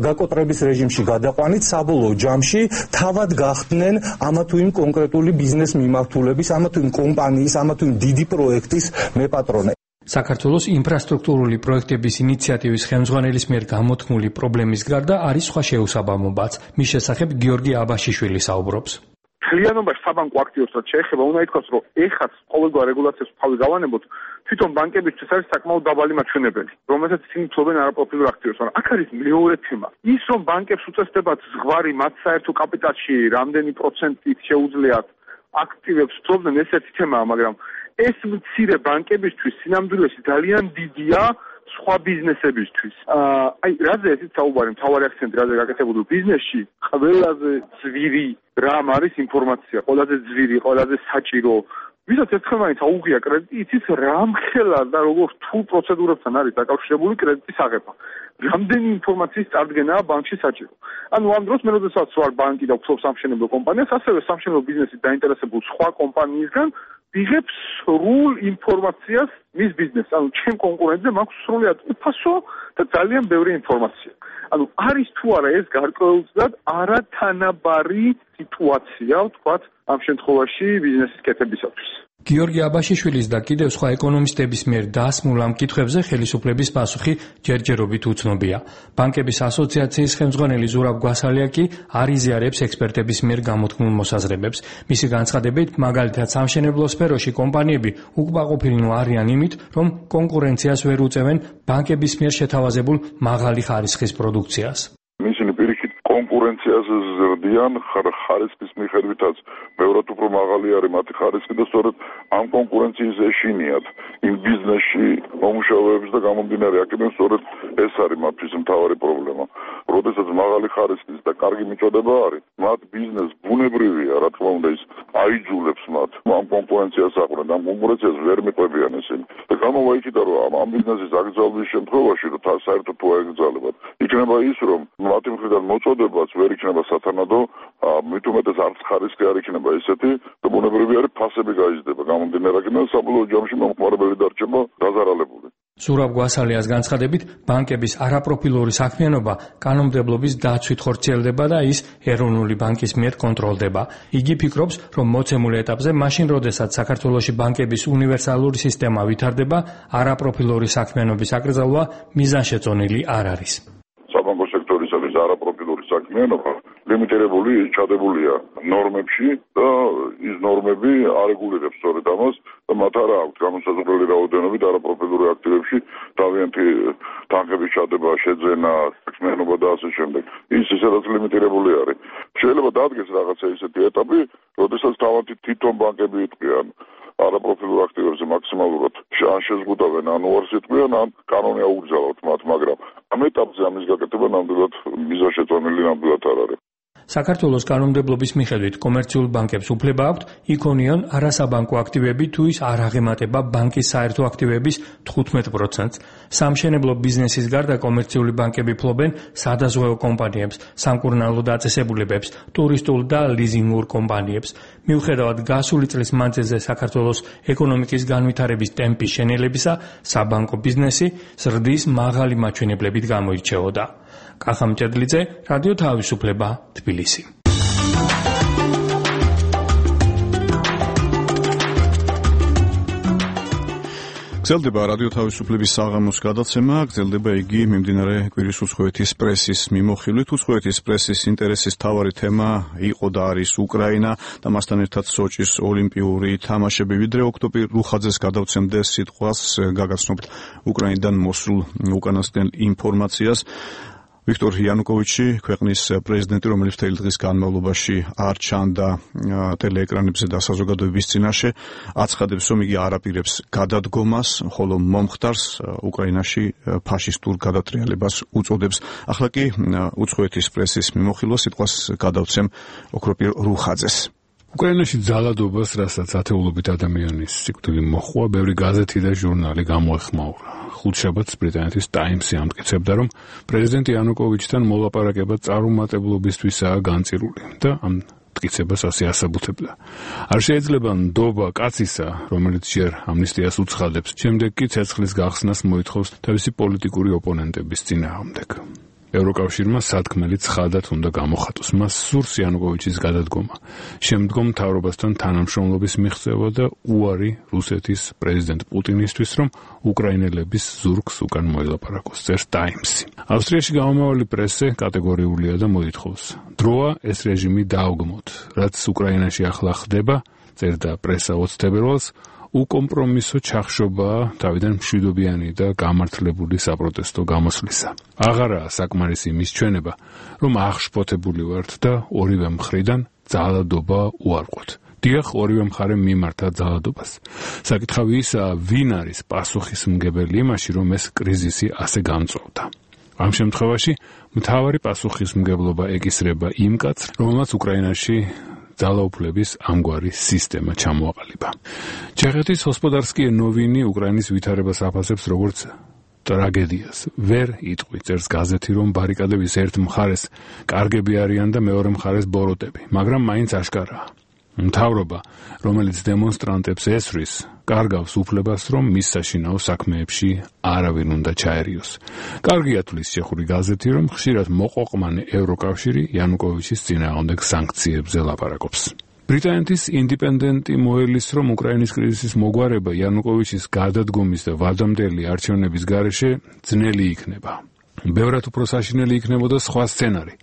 გაკოტრების რეჟიმში გადაყვანით საბოლოო ჯამში თავად გახდნენ ამა თუ იმ კონკრეტული ბიზნეს მიმართულების, ამა თუ იმ კომპანიის, ამა თუ იმ დიდი პროექტის მეპატრონე. საქართველოს ინფრასტრუქტურული პროექტების ინიციატივის ხელმძღვანელის მიერ გამოთქმული პრობლემის გარდა არის სხვა შეუსაბამობაც. მის შესახებ გიორგი აბაშიშვილი საუბრობს. მთლიანობაში საბანკო აქტივობსაც შეეხება, უნდა ითქვას, რომ ეხაც ყოველგვარ რეგულაციას თავი გავანებოთ, თვითონ ბანკებისთვის არის საკმაოდ დაბალი მაჩვენებელი, რომელსაც ისინი ფლობენ არაპროფილურ აქტივებს. აქ არის მეორე თემა. ის, რომ ბანკებს უწესდებათ ზღვარი მათ საერთო კაპიტალში რამდენი პროცენტით შეუძლიათ აქტივებს ფლობდნენ, ეს ერთი თემაა, მაგრამ ეს მცირე ბანკებისთვის სინამდვილეში ძალიან დიდია სხვა ბიზნესებისთვის. რაზე ესეც საუბარი, მთავარი აქცენტი რაზე გაკეთებული ბიზნესში, ყველაზე ძვირი რამ არის ინფორმაცია, ყველაზე ძვირი, ყველაზე საჭირო. ვისაც ერთხმაინც აუღია კრედიტი, იცით რამხელა და როგორ რთულ პროცედურებთან არის დაკავშირებული კრედიტის აღება. რამდენი ინფორმაციის წარდგენაა ბანკში საჭირო. ანუ ამ დროს მე როდესაც ვარ ბანკი და ვფლობ სამშენებლო კომპანიას, ასევე სამშენებლო ბიზნესით დაინტერესებულ სხვა კომპანიისგან ვიღებ სრულ ინფორმაციას მის ბიზნესს. ანუ ჩემ კონკურენტზე მაქვს სრულად უფასო და ძალიან ბევრი ინფორმაცია. ანუ არის თუ არა ეს გარკვეულწილად არათანაბარი სიტუაცია, ვთქვათ, ამ შემთხვევაში ბიზნესის კეთებისათვის. გიორგი აბაშიშვილის და კიდევ სხვა ეკონომისტების მიერ დასმულ ამ კითხვებზე ხელისუფლების პასუხი ჯერჯერობით უცნობია. ბანკების ასოციაციის ხელმძღვანელი ზურაბ გვასალია კი არ იზიარებს ექსპერტების მიერ გამოთქმულ მოსაზრებებს. მისი განცხადებით, მაგალითად სამშენებლო სფეროში კომპანიები უკმაყოფილნი არიან იმით, რომ კონკურენციას ვერ უწევენ ბანკების მიერ შეთავაზებულ მაღალი ხარისხის პროდუქციას. ისინი პირიქით კონკურენციაზე ზრდიან ხარისხის მიხედვითაც ბევრად უფრო მაღალი არის მათი ხარისხი და სწორედ ამ კონკურენციის ეშინიათ იმ ბიზნესში მომუშავეებს და გამომდინარე აქედან სწორედ ეს არის მათთვის მთავარი პრობლემა. როდესაც მაღალი ხარისხის და კარგი მიწოდება არის, მათ ბიზნეს ბუნებრივია, რა თქმა უნდა, ის აიძულებს მათ ამ კონკურენციას აყრენ, ამ კონკურენციას ვერ მიყვებიან ესენი. და გამოვა იქიდან, რომ ამ ბიზნესის აკრძალვის შემთხვევაში, რომ საერთოდ თუ აეკრძალებათ, იქნება ის, რომ მათი მხრიდან მოწოდებაც ვერ იქნება სათანადო, მით უმეტეს არც ხარისხი არ იქნება ისეთი, და ბუნებრივი არის ფასები გაიზრდება. გამომდინარე აქედან საბოლოო ჯამში მომხმარებელი დარჩება დაზარალებული. ზურაბ გვასალიას განცხადებით, ბანკების არაპროფილური საქმიანობა კანონმდებლობის დაცვით ხორციელდება და ის ეროვნული ბანკის მიერ კონტროლდება. იგი ფიქრობს, რომ მოცემულ ეტაპზე, მაშინ როდესაც საქართველოში ბანკების უნივერსალური სისტემა ვითარდება, არაპროფილური საქმიანობის აკრძალვა მიზანშეწონილი არ არის. საბანკო სექტორისათვის არაპროფილური საქმიანობა ლიმიტირებული ჩადებულია ნორმებში და ის ნორმები არეგულირებს სწორედ ამას და მათ არ აქვს განუსაზღვრელი რაოდენობით არაპროფილური აქტივებში თავიანთი თანხების ჩადება, შეძენა, საქმიანობა და ასე შემდეგ. ის ისედაც ლიმიტირებული არის. შეიძლება დადგეს რაღაცა ისეთი ეტაპი, როდესაც თავიანთი თვითონ ბანკები იტყვიან არაპროფილურ აქტივებზე მაქსიმალურად ან შეზღუდავენ, ან უარს იტყვიან, ან კანონი აუგზავნოთ მათ, მაგრამ ამ ეტაპზე ამის გაკეთება ნამდვილად მიზანშეწონილი ნამდვილად არ არის. საქართველოს კანონმდებლობის მიხედვით კომერციულ ბანკებს უფლება აქვთ იქონიონ არასაბანკო აქტივები თუ ის არ აღემატება ბანკის საერთო აქტივების 15%-ს. სამშენებლო ბიზნესის გარდა კომერციული ბანკები ფლობენ სადაზღვევო კომპანიებს, სამკურნალო დაწესებულებებს, ტურისტულ და ლიზინგურ კომპანიებს. მიუხედავად გასული წლის მანძილზე საქართველოს ეკონომიკის განვითარების ტემპის შენელებისა, საბანკო ბიზნესი ზრდის მაღალი მაჩვენებლებით გამოირჩეოდა. კახამ ჭედლიძე, რადიო თავისუფლება, თბილისი. გრძელდება რადიო თავისუფლების საღამოს გადაცემა, გრძელდება იგი მიმდინარე კვირის უცხოეთის პრესის მიმოხილვით. უცხოეთის პრესის ინტერესის მთავარი თემა იყო და არის უკრაინა და მასთან ერთად სოჭის ოლიმპიური თამაშები. ვიდრე ოქტომბერ რუხაძეს გადავცემდე სიტყვას, გაგაცნობთ უკრაინიდან მოსულ უკანასკნელ ინფორმაციას. ვიქტორ იანუკოვიჩი, ქვეყნის პრეზიდენტი, რომელიც მთელი დღის განმავლობაში არ ჩანდა ტელეეკრანებზე და საზოგადოების წინაშე, აცხადებს, რომ იგი არ აპირებს გადადგომას, ხოლო მომხდარს უკრაინაში ფაშისტურ გადატრიალებას უწოდებს. ახლა კი უცხოეთის პრესის მიმოხილვა სიტყვას გადავცემ ოქროპირ რუხაძეს. უკრაინაში ძალადობას, რასაც ათეულობით ადამიანის სიკვდილი მოჰყვა, ბევრი გაზეთი და ჟურნალი გამოეხმაურა. ხუთშაბათს ბრიტანეთის ტაიმსი ამტკიცებდა, რომ პრეზიდენტ იანუკოვიჩთან მოლაპარაკება წარუმატებლობისთვისაა განწირული და ამ მტკიცებას ასე ასაბუთებდა. არ შეიძლება ნდობა კაცისა, რომელიც ჯერ ამნისტიას უცხადებს, შემდეგ კი ცეცხლის გახსნას მოითხოვს თავისი პოლიტიკური ოპონენტების წინააღმდეგ. ევროკავშირმა სათქმელი ცხადად უნდა გამოხატოს. მას სურს იანუკოვიჩის გადადგომა, შემდგომ მთავრობასთან თანამშრომლობის მიღწევა და უარი რუსეთის პრეზიდენტ პუტინისთვის, რომ უკრაინელების ზურგს უკან მოელაპარაკოს, წერს ტაიმსი. ავსტრიაში გამომავალი პრესე კატეგორიულია და მოითხოვს: დროა ეს რეჟიმი დაუგმოთ, რაც უკრაინაში ახლა ხდება, წერდა პრესა 20 თებერვალს, უკომპრომისო ჩახშობაა თავიდან მშვიდობიანი და გამართლებული საპროტესტო გამოსვლისა. აღარაა საკმარისი იმის ჩვენება, რომ აღშფოთებული ვართ და ორივე მხრიდან ძალადობა უარყვოთ. დიახ, ორივე მხარე მიმართა ძალადობას. საკითხავი ისაა, ვინ არის პასუხისმგებელი იმაში, რომ ეს კრიზისი ასე გამწვავდა. ამ შემთხვევაში მთავარი პასუხისმგებლობა ეკისრება იმ კაცს, რომელმაც უკრაინაში ძალაუფლების ამგვარი სისტემა ჩამოაყალიბა. ჩეხეთის ჰოსპოდარსკი ნოვინი უკრაინის ვითარებას აფასებს როგორც ტრაგედიას. ვერ იტყვი, წერს გაზეთი, რომ ბარიკადების ერთ მხარეს კარგები არიან და მეორე მხარეს ბოროტები, მაგრამ მაინც აშკარაა. მთავრობა, რომელიც დემონსტრანტებს ესვრის, კარგავს უფლებას, რომ მის საშინაო საქმეებში არავინ უნდა ჩაერიოს. კარგია თulis ჩეხური გაზეთი, რომ ხშირად მოყოყმანი ევროკავშირი იანუკოვიჩის წინააღმდეგ სანქციებზე ლაპარაკობს. ბრიტანეთის ინდიპენდენტი მოელის, რომ უკრაინის კრიზისის მოგვარება იანუკოვიჩის გადადგომის და ვადამდელი არჩევნების გარეშე ძნელი იქნება. ბევრად უფრო საშინელი იქნებოდა სხვა სცენარი.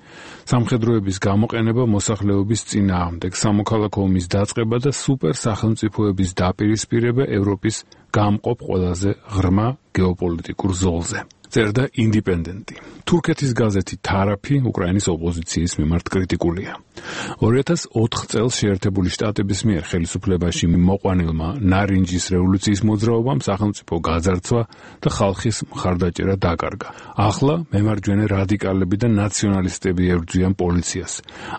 სამხედროების გამოყენება მოსახლეობის წინააღმდეგ, სამოქალაქო ომის დაწყება და სუპერ სახელმწიფოების დაპირისპირება ევროპის გამყოფ ყველაზე ღრმა გეოპოლიტიკურ ზოლზე. წერდა ინდიპენდენტი. თურქეთის გაზეთი თარაფი უკრაინის ოპოზიციის მიმართ კრიტიკულია. 2004 წელს შეერთებული შტატების მიერ ხელისუფლებაში მოყვანილმა ნარინჯის რევოლუციის მოძრაობამ სახელმწიფო გაძარცვა და ხალხის მხარდაჭერა დაკარგა. ახლა მემარჯვენე რადიკალები და ნაციონალისტები ებრძვიან პოლიციას.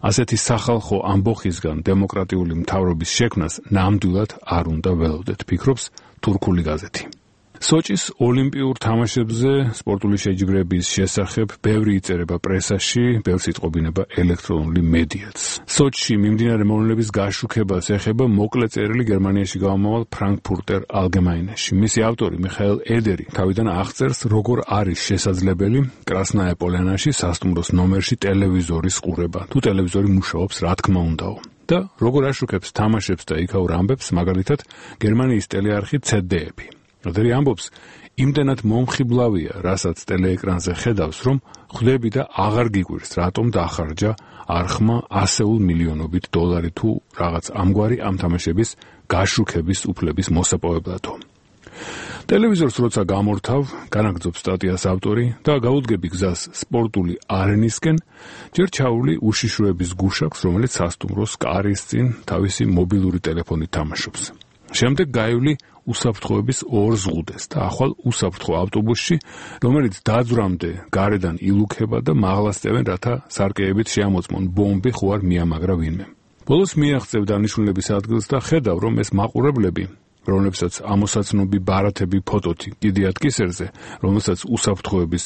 ასეთი სახალხო ამბოხისგან დემოკრატიული მთავრობის შექმნას ნამდვილად არ უნდა ველოდეთ, ფიქრობს თურქული გაზეთი. სოჭის ოლიმპიურ თამაშებზე სპორტული შეჯიბრების შესახებ ბევრი იწერება პრესაში, ბევრს იტყობინება ელექტრონული მედიაც. სოჭში მიმდინარე მოვლენების გაშუქებას ეხება მოკლე წერილი გერმანიაში გამომავალ ფრანკფურტერ ალგემაინეში. მისი ავტორი მიხაელ ედერი თავიდან აღწერს, როგორ არის შესაძლებელი კრასნაია პოლიანაში სასტუმროს ნომერში ტელევიზორის ყურება, თუ ტელევიზორი მუშაობს, რა თქმა უნდაო. და როგორ აშუქებს თამაშებს და იქაურ ამბებს, მაგალითად, გერმანიის ტელეარხი ZDF. ედერი ამბობს, იმდენად მომხიბლავია, რასაც ტელეეკრანზე ხედავს, რომ ხვდები და აღარ გიგვირს, რატომ დახარჯა არხმა ასეულ მილიონობით დოლარი თუ რაღაც ამგვარი ამ თამაშების გაშუქების უფლების მოსაპოვებლადო. ტელევიზორს როცა გამორთავ, განაგრძობს სტატიას ავტორი და გაუდგები გზას სპორტული არენისკენ, ჯერ ჩაული უშიშროების გუშაკს, რომელიც სასტუმროს კარის წინ თავისი მობილური ტელეფონით თამაშობს. შემდეგ გაივლი უსაფრთხოების ორ ზღუდეს და ახვალ უსაფრთხო ავტობუსში, რომელიც დაძვრამდე გარედან ილუქება და მაღლასწევენ, რათა სარკეებით შეამოწმონ ბომბი ხო არ მიამაგრა ვინმე. ბოლოს მიაღწევ დანიშნულების ადგილს და ხედავ, რომ ეს მაყურებლები, რომლებსაც ამოსაცნობი ბარათები ფოტოთი კიდიათ კისერზე, რომელსაც უსაფრთხოების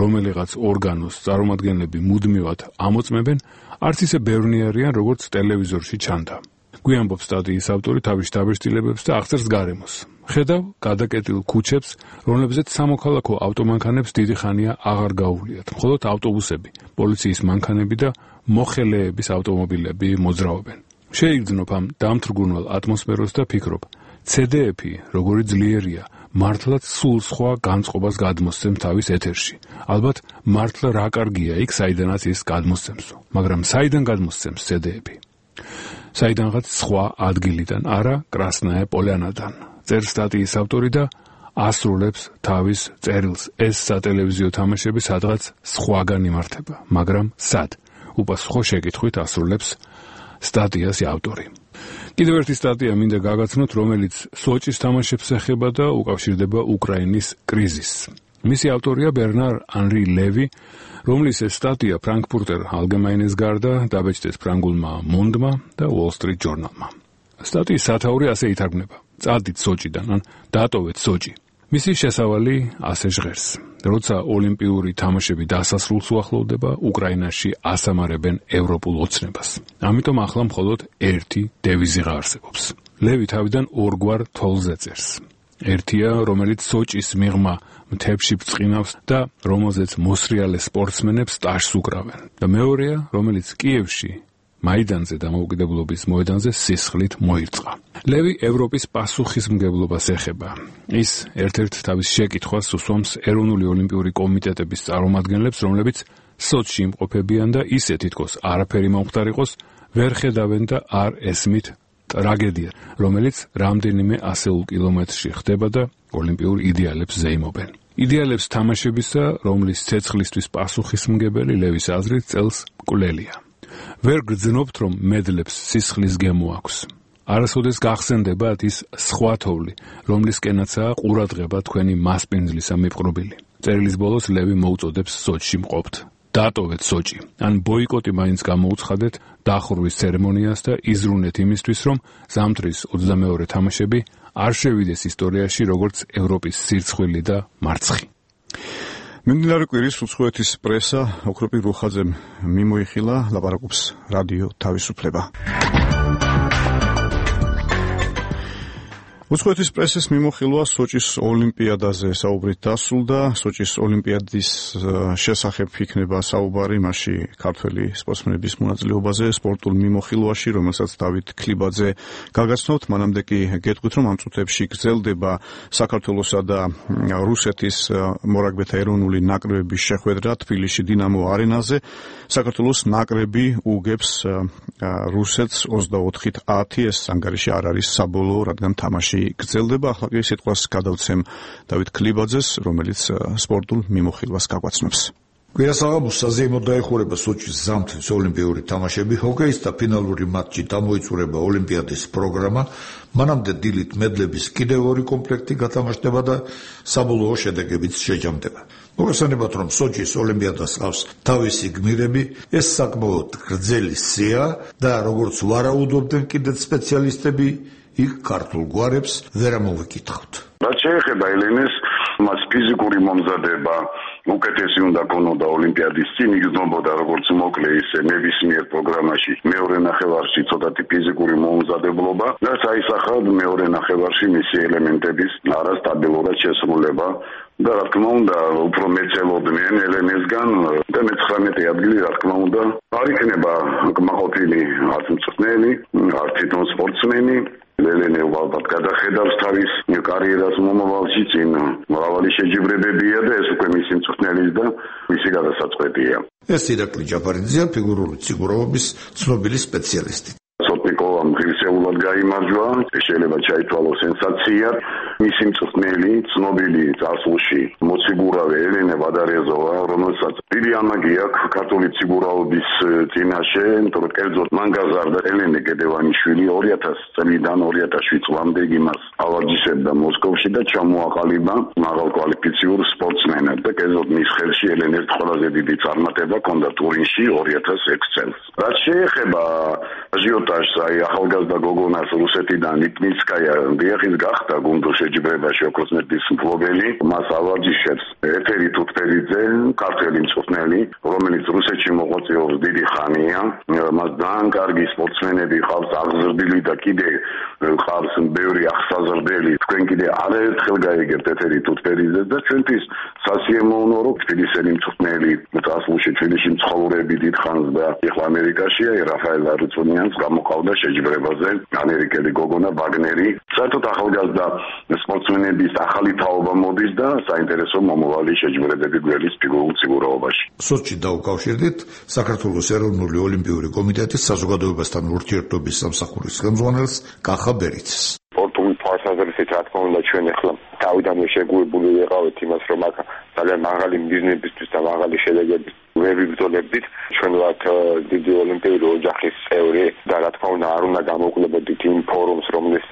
რომელიღაც ორგანოს წარმომადგენლები მუდმივად ამოწმებენ, არც ისე ბევრნი არიან, როგორც ტელევიზორში ჩანდა. გვიამბობს სტატიის ავტორი თავის დაბეჭდილებებს და აღწერს გარემოს. ხედავ გადაკეტილ ქუჩებს, რომლებზეც სამოქალაქო ავტომანქანებს დიდი ხანია აღარ გაუვლიათ, მხოლოდ ავტობუსები, პოლიციის მანქანები და მოხელეების ავტომობილები მოძრაობენ. შეიგრძნობ ამ დამთრგუნვალ ატმოსფეროს და ფიქრობ, ZDF-ი, როგორი ძლიერია, მართლაც სულ სხვა განწყობას გადმოსცემს თავის ეთერში. ალბათ მართლა რა კარგია იქ, საიდანაც ის გადმოსცემსო, მაგრამ საიდან გადმოსცემს ZDF-ი? საიდანღაც სხვა ადგილიდან, არა კრასნაია პოლიანადან. წერს სტატიის ავტორი და ასრულებს თავის წერილს. ეს სატელევიზიო თამაშები სადღაც სხვაგან იმართება, მაგრამ სად? უპასუხო შეკითხვით ასრულებს სტატიას ავტორი. კიდევ ერთი სტატია მინდა გაგაცნოთ, რომელიც სოჭის თამაშებს ეხება და უკავშირდება უკრაინის კრიზისს. მისი ავტორია ბერნარ ანრი ლევი, რომლის ეს სტატია ფრანკფურტერ ალგემაინეს გარდა დაბეჭდეს ფრანგულმა მონდმა და Wall Street Journal-მა. სტატიის სათაური ასე ითარგმნება: წადით სოჭიდან, ან დატოვეთ სოჭი. მისი შესავალი ასე ჟღერს: როცა ოლიმპიური თამაშები დასასრულს უახლოვდება, უკრაინაში ასამარებენ ევროპულ ოცნებას. ამიტომ ახლა მხოლოდ ერთი დევიზი არსებობს. ლევი თავიდან ორგვარ თვალზე წერს. ერთია, რომელიც სოჭის მიღმა მთებში ბრწყინავს და რომელზეც მოსრიალე სპორტსმენებს ტაშს უკრავენ. და მეორეა, რომელიც კიევში მაიდანზე დამოუკიდებლობის მოედანზე სისხლით მოირწყა. ლევი ევროპის პასუხისმგებლობას ეხება. ის ერთ-ერთ თავის შეკითხვას უსვამს ეროვნული ოლიმპიური კომიტეტების წარმომადგენლებს, რომლებიც სოჭში იმყოფებიან და ისე თითქოს არაფერი მომხდარიყოს, ვერ ხედავენ და არ ესმით ტრაგედია, რომელიც რამდენიმე ასეულ კილომეტრში ხდება და ოლიმპიურ იდეალებს ზეიმობენ. იდეალებს თამაშებისა, რომლის ცეცხლისთვის პასუხისმგებელი ლევის აზრით წელს მკვლელია. ვერ გრძნობთ, რომ მედლებს სისხლის გემო აქვს. არასოდეს გახსენდებათ ის სხვა თოვლი, რომლისკენაცაა ყურადღება თქვენი მასპინძლისა მიპყრობილი. წერილის ბოლოს ლევი მოუწოდებს სოჭში მყოფთ. დატოვეთ სოჭი, ან ბოიკოტი მაინც გამოუცხადეთ დახურვის ცერემონიას და იზრუნეთ იმისთვის, რომ ზამთრის 22 თამაშები არ შევიდეს ისტორიაში როგორც ევროპის სირცხვილი და მარცხი. მიმდინარე კვირის უცხოეთის პრესა ოქროპი რუხაძემ მიმოიხილა, ლაპარაკობს რადიო თავისუფლება. უცხოეთის პრესის მიმოხილვა სოჭის ოლიმპიადაზე საუბრით დასრულდა. სოჭის ოლიმპიადის შესახებ იქნება საუბარი მასში ქართველი სპორტსმენების მონაწილეობაზე სპორტულ მიმოხილვაში, რომელსაც დავით ქლიბაძე გაგაცნობთ. მანამდე კი გეტყვით, რომ ამ წუთებში გრძელდება საქართველოსა და რუსეთის მორაგბეთა ეროვნული ნაკრებების შეხვედრა თბილისში დინამო არენაზე. საქართველოს ნაკრები უგებს რუსეთს 24-10. ეს ანგარიში არ არის საბოლოო, რადგან თამაში გრძელდება. ახლა კი სიტყვას გადავცემ დავით ქლიბაძეს, რომელიც სპორტულ მიმოხილვას გაგვაცნობს. კვირას აღაბოს საზეიმოდ დაეხურება სოჭის ზამთრის ოლიმპიური თამაშები, ჰოკეის და ფინალური მატჩი დამოიწურება ოლიმპიადის პროგრამა, მანამდე დილით მედლების კიდევ ორი კომპლექტი გათამაშდება და საბოლოო შედეგებიც შეჯამდება. მოგესალმებით, რომ სოჭის ოლიმპიადას ყავს თავისი გმირები, ეს საკმაოდ გრძელი სია და როგორც ვარაუდობდნენ კიდეც სპეციალისტები, იქ ქართულ გვარებს ვერ ამოვიკითხავთ. რაც შეეხება ელენეს, მას ფიზიკური მომზადება უკეთესი უნდა ქონოდა ოლიმპიადის წინ, იგრძნობოდა როგორც მოკლე ისე ნებისმიერ პროგრამაში მეორე ნახევარში ცოტათი ფიზიკური მომზადებლობა და საისახად მეორე ნახევარში მისი ელემენტების არასტაბილურად შესრულება და რა თქმა უნდა უფრო მეცელოდნენ ელენესგან და მე-19 ადგილი რა თქმა უნდა არ იქნება კმაყოფილი არც მწვრთნელი, არც თვითონ სპორტსმენი. ელენე უბრალოდ გადახედავს თავის კარიერას მომავალში წინ მრავალი შეჯიბრებებია და ეს უკვე მისი მწვრთნელის და მისი გადასაწყვეტია. ეს ირაკლი ჯაფარიძეა, ფიგურული ციგურაობის ცნობილი სპეციალისტი. სოტნიკოვამ ღირსეულად გაიმარჯვა, შეიძლება ჩაითვალოს სენსაციად. მისი მწვრთნელი, ცნობილი წარსულში მოციგურავე ელენე ვადარეზოვა, რომელსაც დიდი ამაგი აქვს ქართული ციგურაობის წინაშე, იმიტომ რომ კერძოდ მან გაზარდა ელენე გედევანიშვილი 2000 წლიდან 2007 წლამდე იგი მას ავარჯიშებდა მოსკოვში და ჩამოაყალიბა მაღალკვალიფიციურ სპორტსმენად და კერძოდ მის ხელში ელენეს ყველაზე დიდი წარმატება ჰქონდა ტურინში 2006 წელს. რაც შეეხება აჟიოტაჟს, აი ახალგაზრდა გოგონას რუსეთიდან ნიკნიცკაია დიახის გახდა გუნდურ შეჯიბრებაში ოქროსმედლის მფლობელი, მას ავარჯიშებს ეთერი თუთფერიძე, ქართველი მწვრთნელი, რომელიც რუსეთში მოღვაწეობს დიდი ხანია, მას ძალიან კარგი სპორტსმენები ყავს აღზრდილი და კიდე ყავს ბევრი აღსაზრდელი. თქვენ კიდე არაერთხელ გაიგებთ ეთერი თუთფერიძეს და ჩვენთვის სასიამოვნოა, რომ თბილისელი მწვრთნელი წარსულში თბილისში მცხოვრები დიდ ხანს და ეხლა ამერიკაშია, რაფაელ არუცონიანს გამოყავდა შეჯიბრებაზე ამერიკელი გოგონა ვაგნერი. საერთოდ ახალგაზრდა სპორტსმენების ახალი თაობა მოდის და საინტერესო მომავალი შეჯიბრებები გველის ფიგურულ ციგურაობაში. სოჩი დაუკავშირდით საქართველოს ეროვნული ოლიმპიური კომიტეტის საზოგადოებასთან ურთიერთობის სამსახურის ხელმძღვანელს კახა ბერიძეს. სპორტული თვალსაზრისით რა თქმა უნდა ჩვენ ახლა თავიდანვე შეგუებული ვიყავით იმას, რომ აქ ძალიან მაღალი მიზნებისთვის და მაღალი შედეგებით ვერ ვიბრძოლებდით. ჩვენ ვართ დიდი ოლიმპიური ოჯახის წევრი და რა თქმა უნდა არ უნდა გამოვკვლებოდით იმ ფორუმს, რომლის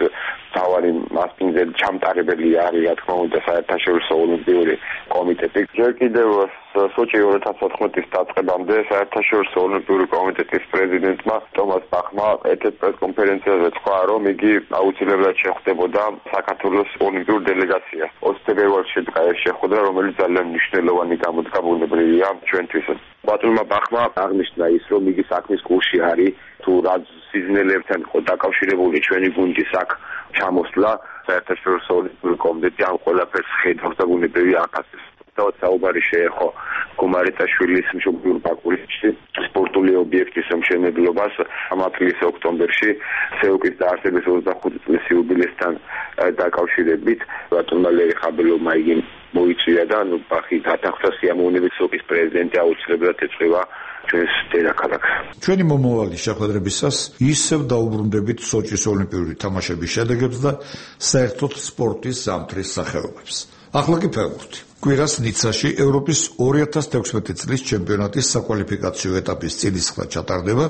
თავარი მასპინძელი ჩამტარებელი არის, რა თქმა უნდა, საერთაშორისო ოლიმპიური კომიტეტი. ჯერ კიდევ სოჩი 2014 დაწყებამდე საერთაშორისო ოლიმპიური კომიტეტის პრეზიდენტმა ტომას ბახმა ერთ-ერთ პრესკონფერენციაზე თქვა, რომ იგი აუცილებლად შეხვდებოდა საქართველოს ოლიმპიურ დელეგაციას. 20 ფებრუარში შეხვდა, რომელიც ძალიან მნიშვნელოვანი გამოდგა ბუნებრივია ჩვენთვის. ბატონმა ბახმა აღნიშნა ის, რომ იგი საქმის კურსში არის, თუ რა სიზნელებთან იყო დაკავშირებული ჩვენი გუნდის აქ ჩამოსვლა, საერთაშორისო ოლიმპიური კომიტეტი ამ ყველაფერს ხედავს და ბუნებრივია აკაცებს. თავად საუბარი შეეხო გუმარეტაშვილის მშობლიურ ბაკურეთში სპორტული ობიექტის მშენებლობას ამ აპრილის ოქტომბერში სეუკის დაარსების 25 წლის იუბილესთან დაკავშირებით. ბატონმა ლერი ხაბელოვმა იგი მოიწვია და ბახი დათანხმდა სიამოვნებით სეუკის პრეზიდენტი აუცილებლად ეწევა ჩვენს დედაქალაქს. ჩვენი მომავალი შეხვედრებისას ისევ დაუბრუნდებით სოჩის ოლიმპიური თამაშების შედეგებს და საერთოდ სპორტის ზამთრის სახეობებს. ახლა კი ფეხბურთი. კვირას ნიცაში ევროპის 2016 წლის ჩემპიონატის საკვალიფიკაციო ეტაპის წინისხლა ჩატარდება,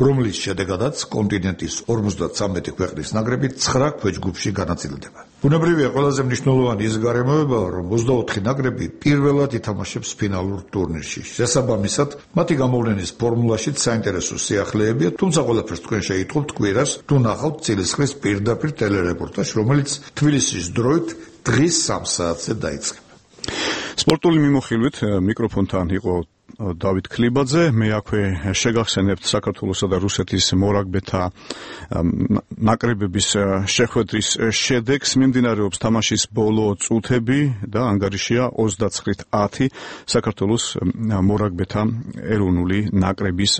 რომლის შედეგადაც კონტინენტის 53 ქვეყნის ნაკრები 9 ქვეჯგუფში განაწილდება. ბუნებრივია, ყველაზე მნიშვნელოვანი ის გარემოებაა, რომ 24 ნაკრები პირველად ითამაშებს ფინალურ ტურნირში. შესაბამისად, მათი გამოვლენის ფორმულაშიც საინტერესო სიახლეებია, თუმცა ყველაფერს თქვენ შეიტყობთ კვირას, თუ ნახავთ წილისხლის პირდაპირ ტელერეპორტაჟს, რომელიც თბილისის დროით დღის 3 საათზე დაიწყება. სპორტული მიმოხილვით მიკროფონთან იყო დავით ქლიბაძე. მე აქვე შეგახსენებთ საქართველოსა და რუსეთის მორაგბეთა ნაკრებების შეხვედრის შედეგს. მიმდინარეობს თამაშის ბოლო წუთები და ანგარიშია 29-10 საქართველოს მორაგბეთა ეროვნული ნაკრების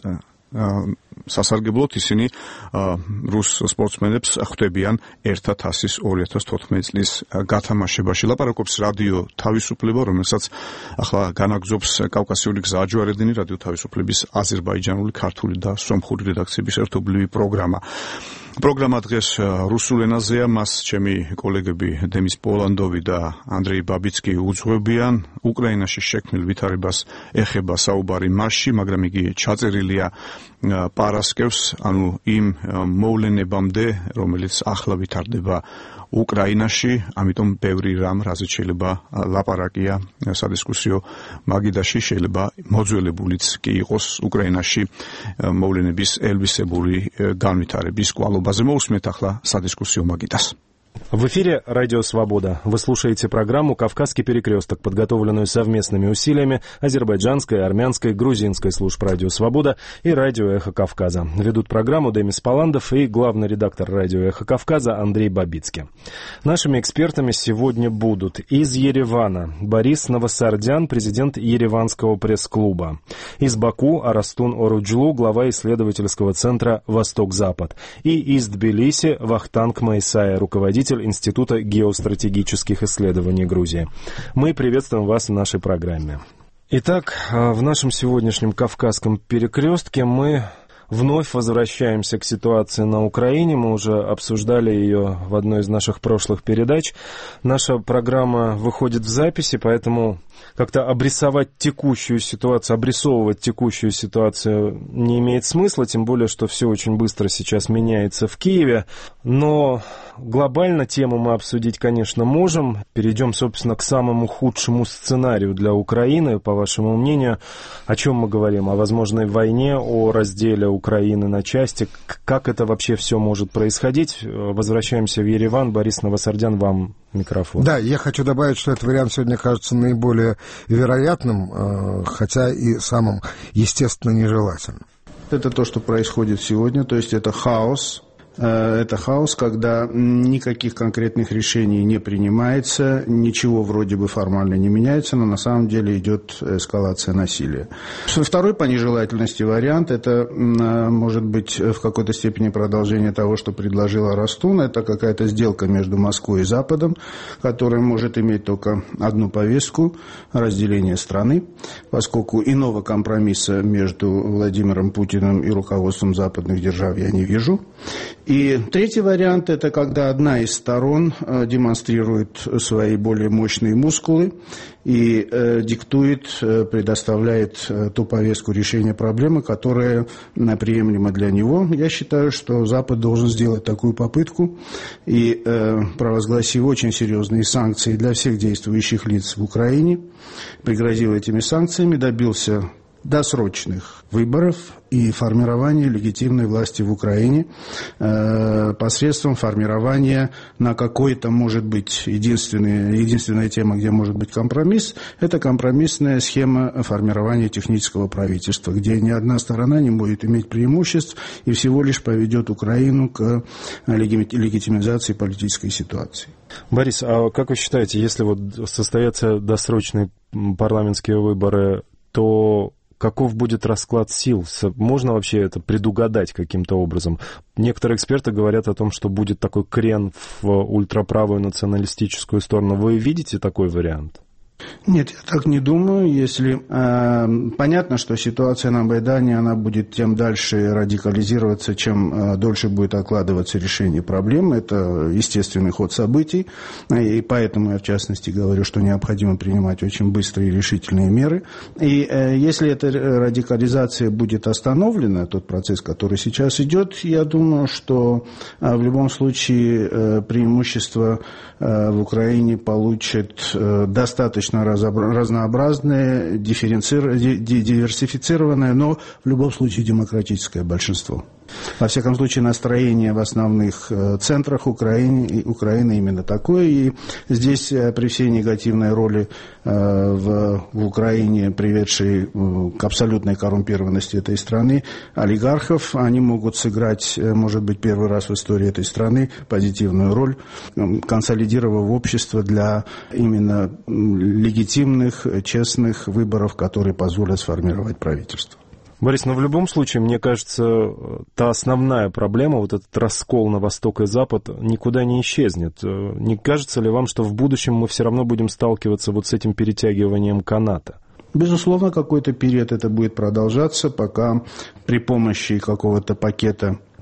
სასარგებლოდ. ისინი რუს სპორტსმენებს ხვდებიან ერთა თასის 2014 წლის გათამაშებაში. ლაპარაკობს რადიო თავისუფლება, რომელსაც ახლა განაგზობს კავკასიური გზააჯვარედინი, რადიო თავისუფლების აზერბაიჯანული, ქართული და სომხური რედაქციების ერთობლივი პროგრამა. პროგრამა დღეს რუსულ ენაზეა, მას ჩემი კოლეგები დემის პოლანდოვი და ანდრეი ბაბიცკი უძღვებიან. უკრაინაში შექმნილ ვითარებას ეხება საუბარი მასში, მაგრამ იგი ჩაწერილია პარასკევს, ანუ იმ მოვლენებამდე, რომელიც ახლა ვითარდება უკრაინაში, ამიტომ ბევრი რამ, რაზეც შეიძლება ლაპარაკია სადისკუსიო მაგიდაში, შეიძლება მოძველებულიც კი იყოს უკრაინაში მოვლენების ელვისებური განვითარების კვალობა განმავლობაზე. Მოусმენთ ახლა სადისკუსიო მაგიდას. В эфире «Радио Свобода». Вы слушаете программу «Кавказский перекресток», подготовленную совместными усилиями азербайджанской, армянской, грузинской служб «Радио Свобода» и «Радио Эхо Кавказа». Ведут программу Демис Паландов и главный редактор «Радио Эхо Кавказа» Андрей Бабицкий. Нашими экспертами сегодня будут из Еревана Борис Новосардян, президент Ереванского пресс-клуба, из Баку Арастун Оруджлу, глава исследовательского центра «Восток-Запад», и из Тбилиси Вахтанг Майсая, руководитель Института геостратегических исследований Грузии. Мы приветствуем вас в нашей программе. Итак, в нашем сегодняшнем Кавказском перекрестке мы вновь возвращаемся к ситуации на Украине. Мы уже обсуждали ее в одной из наших прошлых передач. Наша программа выходит в записи, поэтому как-то обрисовывать текущую ситуацию не имеет смысла, тем более, что все очень быстро сейчас меняется в Киеве. Но глобально тему мы обсудить, конечно, можем. Перейдем, собственно, к самому худшему сценарию для Украины. По вашему мнению, о чем мы говорим? О возможной войне, о разделе Украины на части. Как это вообще все может происходить? Возвращаемся в Ереван. Борис Новосардян, вам микрофон. Да, я хочу добавить, что этот вариант сегодня кажется наиболее вероятным, хотя и самым, естественно, нежелательным. Это то, что происходит сегодня, то есть это хаос. Это хаос, когда никаких конкретных решений не принимается, ничего вроде бы формально не меняется, но на самом деле идет эскалация насилия. Второй по нежелательности вариант, это может быть в какой-то степени продолжение того, что предложил Арастун. Это какая-то сделка между Москвой и Западом, которая может иметь только одну повестку – разделение страны, поскольку иного компромисса между Владимиром Путиным и руководством западных держав я не вижу. И третий вариант – это когда одна из сторон демонстрирует свои более мощные мускулы и диктует, предоставляет ту повестку решения проблемы, которая приемлема для него. Я считаю, что Запад должен сделать такую попытку и, провозгласив очень серьезные санкции для всех действующих лиц в Украине, пригрозил этими санкциями, добился досрочных выборов и формирования легитимной власти в Украине посредством формирования на какой-то, может быть, единственная тема, где может быть компромисс, это компромиссная схема формирования технического правительства, где ни одна сторона не будет иметь преимуществ и всего лишь поведет Украину к легитимизации политической ситуации. Борис, а как вы считаете, если вот состоятся досрочные парламентские выборы, то каков будет расклад сил? Можно вообще это предугадать каким-то образом? Некоторые эксперты говорят о том, что будет такой крен в ультраправую националистическую сторону. Вы видите такой вариант? Нет, я так не думаю. Если понятно, что ситуация на Майдане, она будет тем дальше радикализироваться, чем дольше будет откладываться решение проблемы. Это естественный ход событий. И поэтому я, в частности, говорю, что необходимо принимать очень быстрые и решительные меры. И если эта радикализация будет остановлена, тот процесс, который сейчас идет, я думаю, что в любом случае преимущество в Украине получит достаточно разнообразное, диверсифицированное, но в любом случае демократическое большинство. Во всяком случае, настроение в основных центрах Украины именно такое. И здесь при всей негативной роли в Украине, приведшей к абсолютной коррумпированности этой страны, олигархов, они могут сыграть, может быть, первый раз в истории этой страны позитивную роль, консолидировав общество для именно легитимных, честных выборов, которые позволят сформировать правительство. Борис, но в любом случае, мне кажется, та основная проблема, вот этот раскол на Восток и Запад, никуда не исчезнет. Не кажется ли вам, что в будущем мы все равно будем сталкиваться вот с этим перетягиванием каната? Безусловно, какой-то период это будет продолжаться, пока при помощи какого-то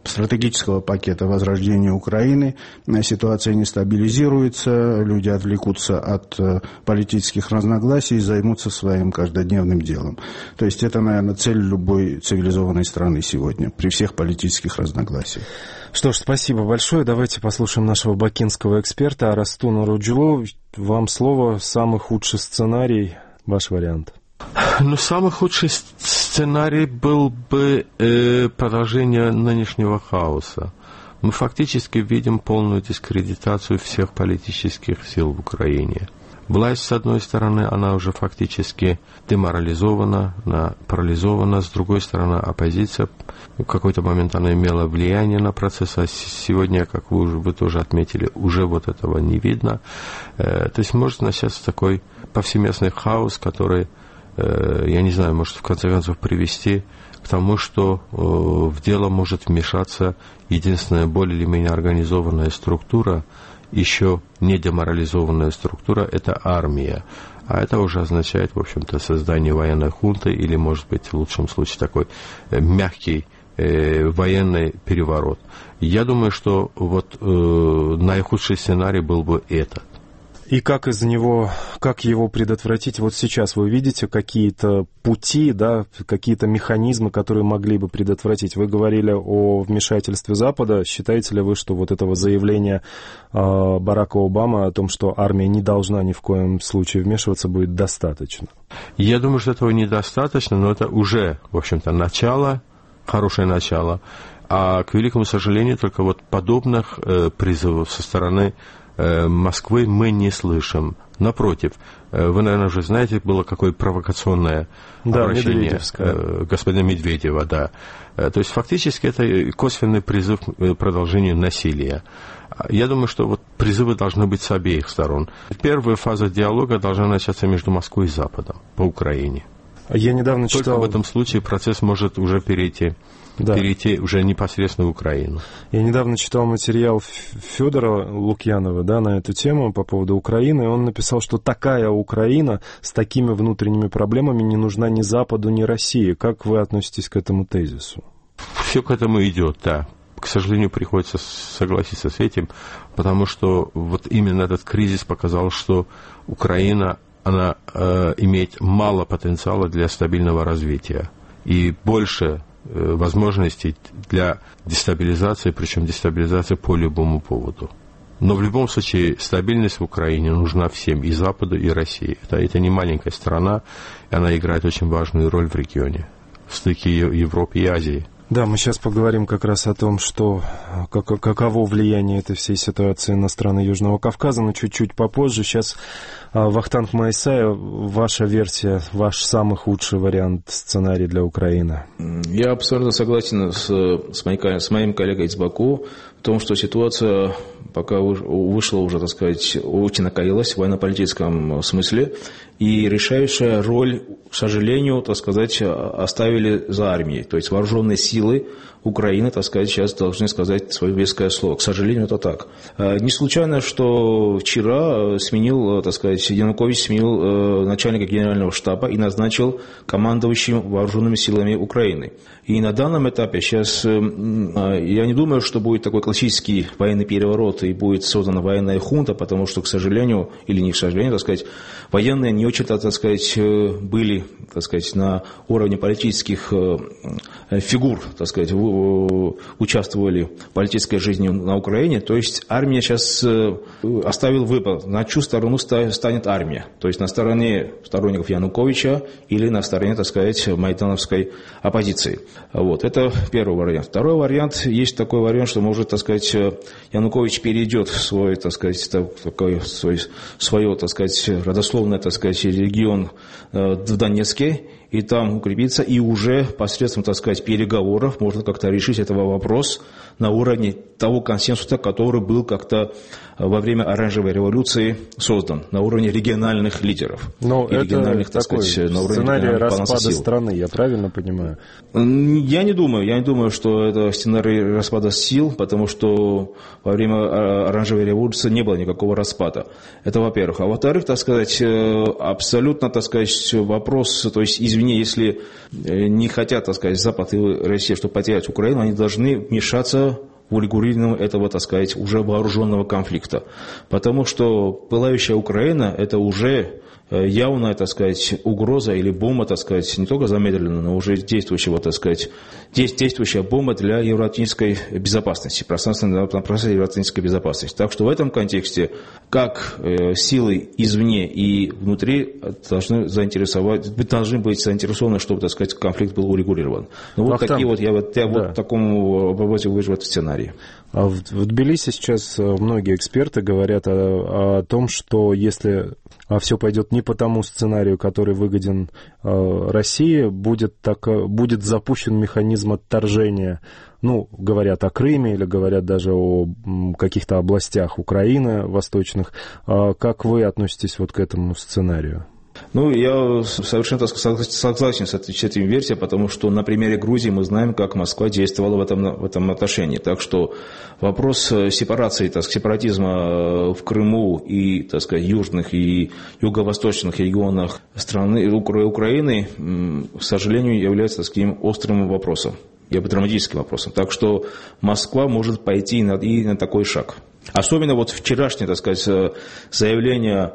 стратегического пакета возрождения Украины ситуация не стабилизируется, люди отвлекутся от политических разногласий и займутся своим каждодневным делом. То есть это, наверное, цель любой цивилизованной страны сегодня, при всех политических разногласиях. Что ж, спасибо большое. Давайте послушаем нашего бакинского эксперта Арастуна Оруджлу. Вам слово. Самый худший сценарий, ваш вариант. Ну, самый худший сценарий был бы продолжение нынешнего хаоса. мы фактически видим полную дискредитацию всех политических сил в Украине. Власть, с одной стороны, она уже фактически деморализована, она парализована, с другой стороны, оппозиция в какой-то момент она имела влияние на процесс, а сегодня, как вы тоже отметили, уже вот этого не видно. То есть может начаться такой повсеместный хаос, который, я не знаю, может в конце концов привести к тому, что в дело может вмешаться единственная более или менее организованная структура, еще не деморализованная структура, это армия. А это уже означает, в общем-то, создание военной хунты или, может быть, в лучшем случае, такой мягкий военный переворот. Я думаю, что вот наихудший сценарий был бы этот. И как его предотвратить? Вот сейчас вы видите какие-то пути, да, какие-то механизмы, которые могли бы предотвратить. Вы говорили о вмешательстве Запада. Считаете ли вы, что вот этого заявления Барака Обамы о том, что армия не должна ни в коем случае вмешиваться, будет достаточно? Я думаю, что этого недостаточно, но это уже, в общем-то, начало, хорошее начало. А, к великому сожалению, только вот подобных призывов со стороны Москвы мы не слышим. Напротив, вы, наверное, уже знаете, было какое провокационное обращение господина Медведева. Да. То есть фактически это косвенный призыв к продолжению насилия. Я думаю, что вот призывы должны быть с обеих сторон. Первая фаза диалога должна начаться между Москвой и Западом по Украине. Я недавно читал... Только в этом случае процесс может уже перейти уже непосредственно в Украину. Я недавно читал материал Федора Лукьянова, да, на эту тему по поводу Украины, и он написал, что такая Украина с такими внутренними проблемами не нужна ни Западу, ни России. Как вы относитесь к этому тезису? Все к этому идет, да. К сожалению, приходится согласиться с этим, потому что вот именно этот кризис показал, что Украина, она имеет мало потенциала для стабильного развития и больше возможностей для дестабилизации, причем дестабилизации по любому поводу. Но в любом случае стабильность в Украине нужна всем, и Западу, и России. Это не маленькая страна, и она играет очень важную роль в регионе, в стыке Европы и Азии. Да, мы сейчас поговорим как раз о том, что каково влияние этой всей ситуации на страны Южного Кавказа, но чуть-чуть попозже. Сейчас Вахтанг Майсаев, ваша версия, ваш самый худший вариант сценария для Украины. Я абсолютно согласен с моим коллегой из Баку в том, что ситуация пока вышла уже, так сказать, очень накалилась в военно-политическом смысле, и решающая роль, к сожалению, так сказать, оставили за армией. То есть вооруженные силы Украины, так сказать, сейчас должны сказать свое веское слово. К сожалению, это так. Не случайно, что вчера Янукович сменил начальника генерального штаба и назначил командующим вооруженными силами Украины. И на данном этапе сейчас я не думаю, что будет такой классический военный переворот и будет создана военная хунта, потому что, к сожалению, или не к сожалению, так сказать, военные не очень-то, так сказать, были, так сказать, на уровне политических фигур, так сказать, участвовали в политической жизни на Украине. То есть армия сейчас оставила выбор, на чью сторону станет армия. То есть на стороне сторонников Януковича или на стороне, так сказать, майдановской оппозиции. Вот. Это первый вариант. Второй вариант, есть такой вариант, что может, так сказать, Янукович перейдет в свой, так сказать, свое, так сказать, родословное, так сказать, регион в Донецке, и там укрепиться, и уже посредством, так сказать, переговоров можно как-то решить этот вопрос на уровне того консенсуса, который был как-то во время Оранжевой революции создан, на уровне региональных лидеров. Но и региональных, это такой сценарий распада страны, я правильно понимаю? Я не думаю, что это сценарий распада сил, потому что во время Оранжевой революции не было никакого распада. Это во-первых. А во-вторых, так сказать, абсолютно, так сказать, вопрос, то есть, извини, если не хотят, так сказать, Запад и Россия, чтобы потерять Украину, они должны вмешаться в урегулировании этого, так сказать, уже вооруженного конфликта. Потому что пылающая Украина – это уже явная, так сказать, угроза или бомба, так сказать, не только замедленная, но уже действующая бомба для евроатлантической безопасности, пространственной евроатлантической безопасности. Так что в этом контексте как силы извне и внутри должны быть заинтересованы, чтобы, так сказать, конфликт был урегулирован. Ну, вот такие вот, я в таком образе вижу этот сценарий. сценарий. В Тбилиси сейчас многие эксперты говорят о том, что если все пойдет не по тому сценарию, который выгоден России, будет запущен механизм отторжения. Ну, говорят о Крыме или говорят даже о каких-то областях Украины восточных. Как вы относитесь вот к этому сценарию? Ну, я совершенно согласен с этим версией, потому что на примере Грузии мы знаем, как Москва действовала в этом отношении. Так что вопрос сепарации, сепаратизма в Крыму и, так сказать, южных и юго-восточных регионах страны Украины, к сожалению, является таким острым вопросом, драматическим вопросом. Так что Москва может пойти и на такой шаг. Особенно вот вчерашнее, так сказать, заявление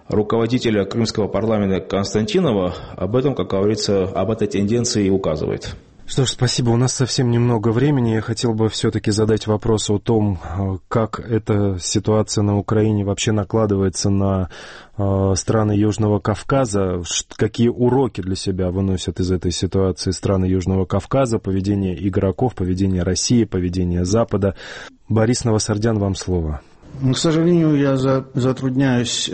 руководителя крымского парламента Константинова об этом, как говорится, об этой тенденции и указывает. Что ж, спасибо. У нас совсем немного времени. Я хотел бы все-таки задать вопрос о том, как эта ситуация на Украине вообще накладывается на страны Южного Кавказа, какие уроки для себя выносят из этой ситуации страны Южного Кавказа, поведение игроков, поведение России, поведение Запада. Борис Новосардян, вам слово. К сожалению, я затрудняюсь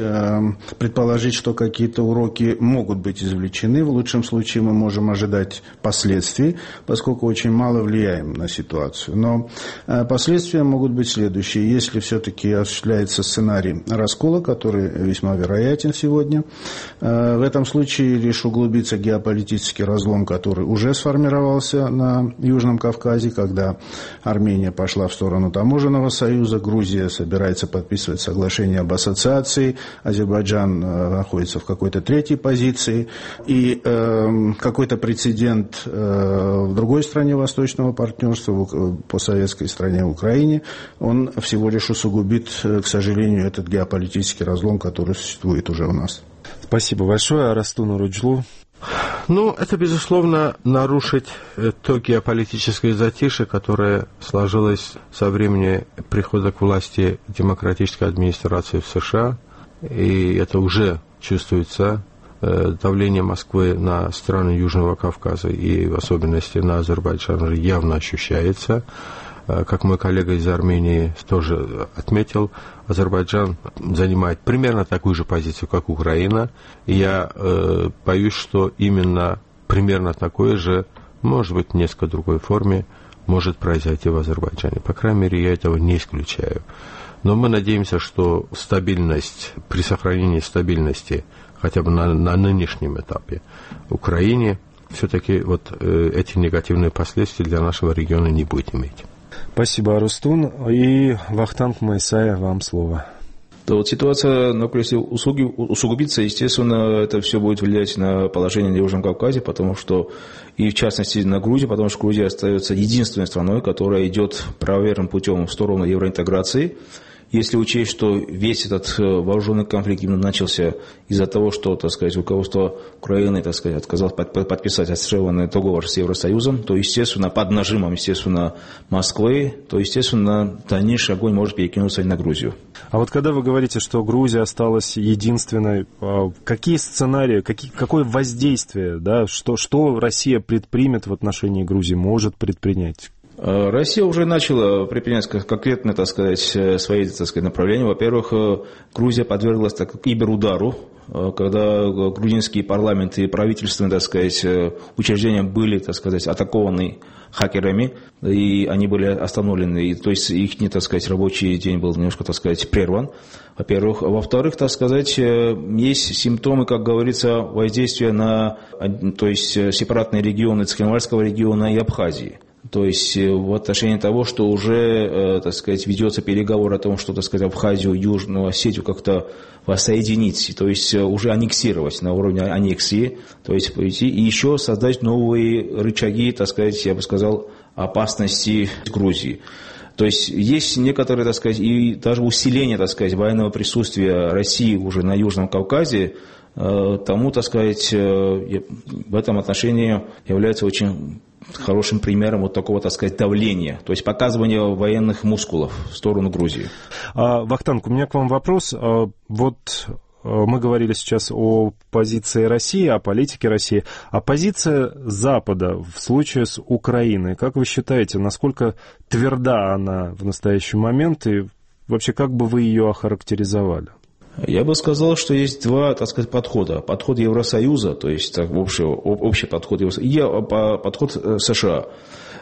предположить, что какие-то уроки могут быть извлечены. В лучшем случае мы можем ожидать последствий, поскольку очень мало влияем на ситуацию. Но последствия могут быть следующие. Если все-таки осуществляется сценарий раскола, который весьма вероятен сегодня, в этом случае лишь углубится геополитический разлом, который уже сформировался на Южном Кавказе, когда Армения пошла в сторону таможенного союза, Грузия собирается подписывать соглашение об ассоциации, Азербайджан находится в какой-то третьей позиции, и какой-то прецедент в другой стране Восточного партнерства, по советской стране Украине, он всего лишь усугубит, к сожалению, этот геополитический разлом, который существует уже у нас. Спасибо большое. Арастун Уруджлу. Ну, это, безусловно, нарушить то геополитическое затишье, которое сложилось со времени прихода к власти демократической администрации в США, и это уже чувствуется. Давление Москвы на страны Южного Кавказа и в особенности на Азербайджан явно ощущается. Как мой коллега из Армении тоже отметил, Азербайджан занимает примерно такую же позицию, как Украина. И я боюсь, что именно примерно такое же, может быть, в несколько другой форме, может произойти в Азербайджане. По крайней мере, я этого не исключаю. Но мы надеемся, что стабильность, при сохранении стабильности, хотя бы на нынешнем этапе Украине, все-таки вот эти негативные последствия для нашего региона не будет иметь. Спасибо, Арустун. И Вахтанг Майсая, вам слово. То вот ситуация на Украине усугубится, естественно, это все будет влиять на положение на Южном Кавказе, потому что, и в частности на Грузию, потому что Грузия остается единственной страной, которая идет правоверным путем в сторону евроинтеграции. Если учесть, что весь этот вооруженный конфликт именно начался из-за того, что, так сказать, руководство Украины, так сказать, отказалось подписать ассоциированный договор с Евросоюзом, то, естественно, под нажимом, естественно, Москвы, то, естественно, дальнейший огонь может перекинуться и на Грузию. А вот когда вы говорите, что Грузия осталась единственной, какие сценарии, какое воздействие, да, что Россия предпримет в отношении Грузии, может предпринять? Россия уже начала предпринять конкретно, так сказать, свои, так сказать, направления. Во-первых, Грузия подверглась киберудару, когда грузинские парламенты и правительственные, так сказать, учреждения были, так сказать, атакованы хакерами, и они были остановлены, то есть их, так сказать, рабочий день был немножко, так сказать, прерван, во-первых. Во-вторых, так сказать, есть симптомы, как говорится, воздействия на, то есть, сепаратные регионы Цхинвальского региона и Абхазии. То есть в отношении того, что уже, так сказать, ведется переговор о том, что, так сказать, Абхазию, Южную Осетию как-то воссоединить, то есть уже аннексировать на уровне аннексии, то есть пойти и еще создать новые рычаги, так сказать, я бы сказал, опасности Грузии. То есть есть некоторые, так сказать, и даже усиление, так сказать, военного присутствия России уже на Южном Кавказе, тому, так сказать, в этом отношении является очень хорошим примером вот такого, так сказать, давления, то есть показывания военных мускулов в сторону Грузии. Вахтанг, у меня к вам вопрос. Вот мы говорили сейчас о позиции России, о политике России, а позиция Запада в случае с Украиной, как вы считаете, насколько тверда она в настоящий момент и вообще как бы вы ее охарактеризовали? Я бы сказал, что есть два, так сказать, подхода. Подход Евросоюза, то есть так, общий подход Евросоюза, и подход США.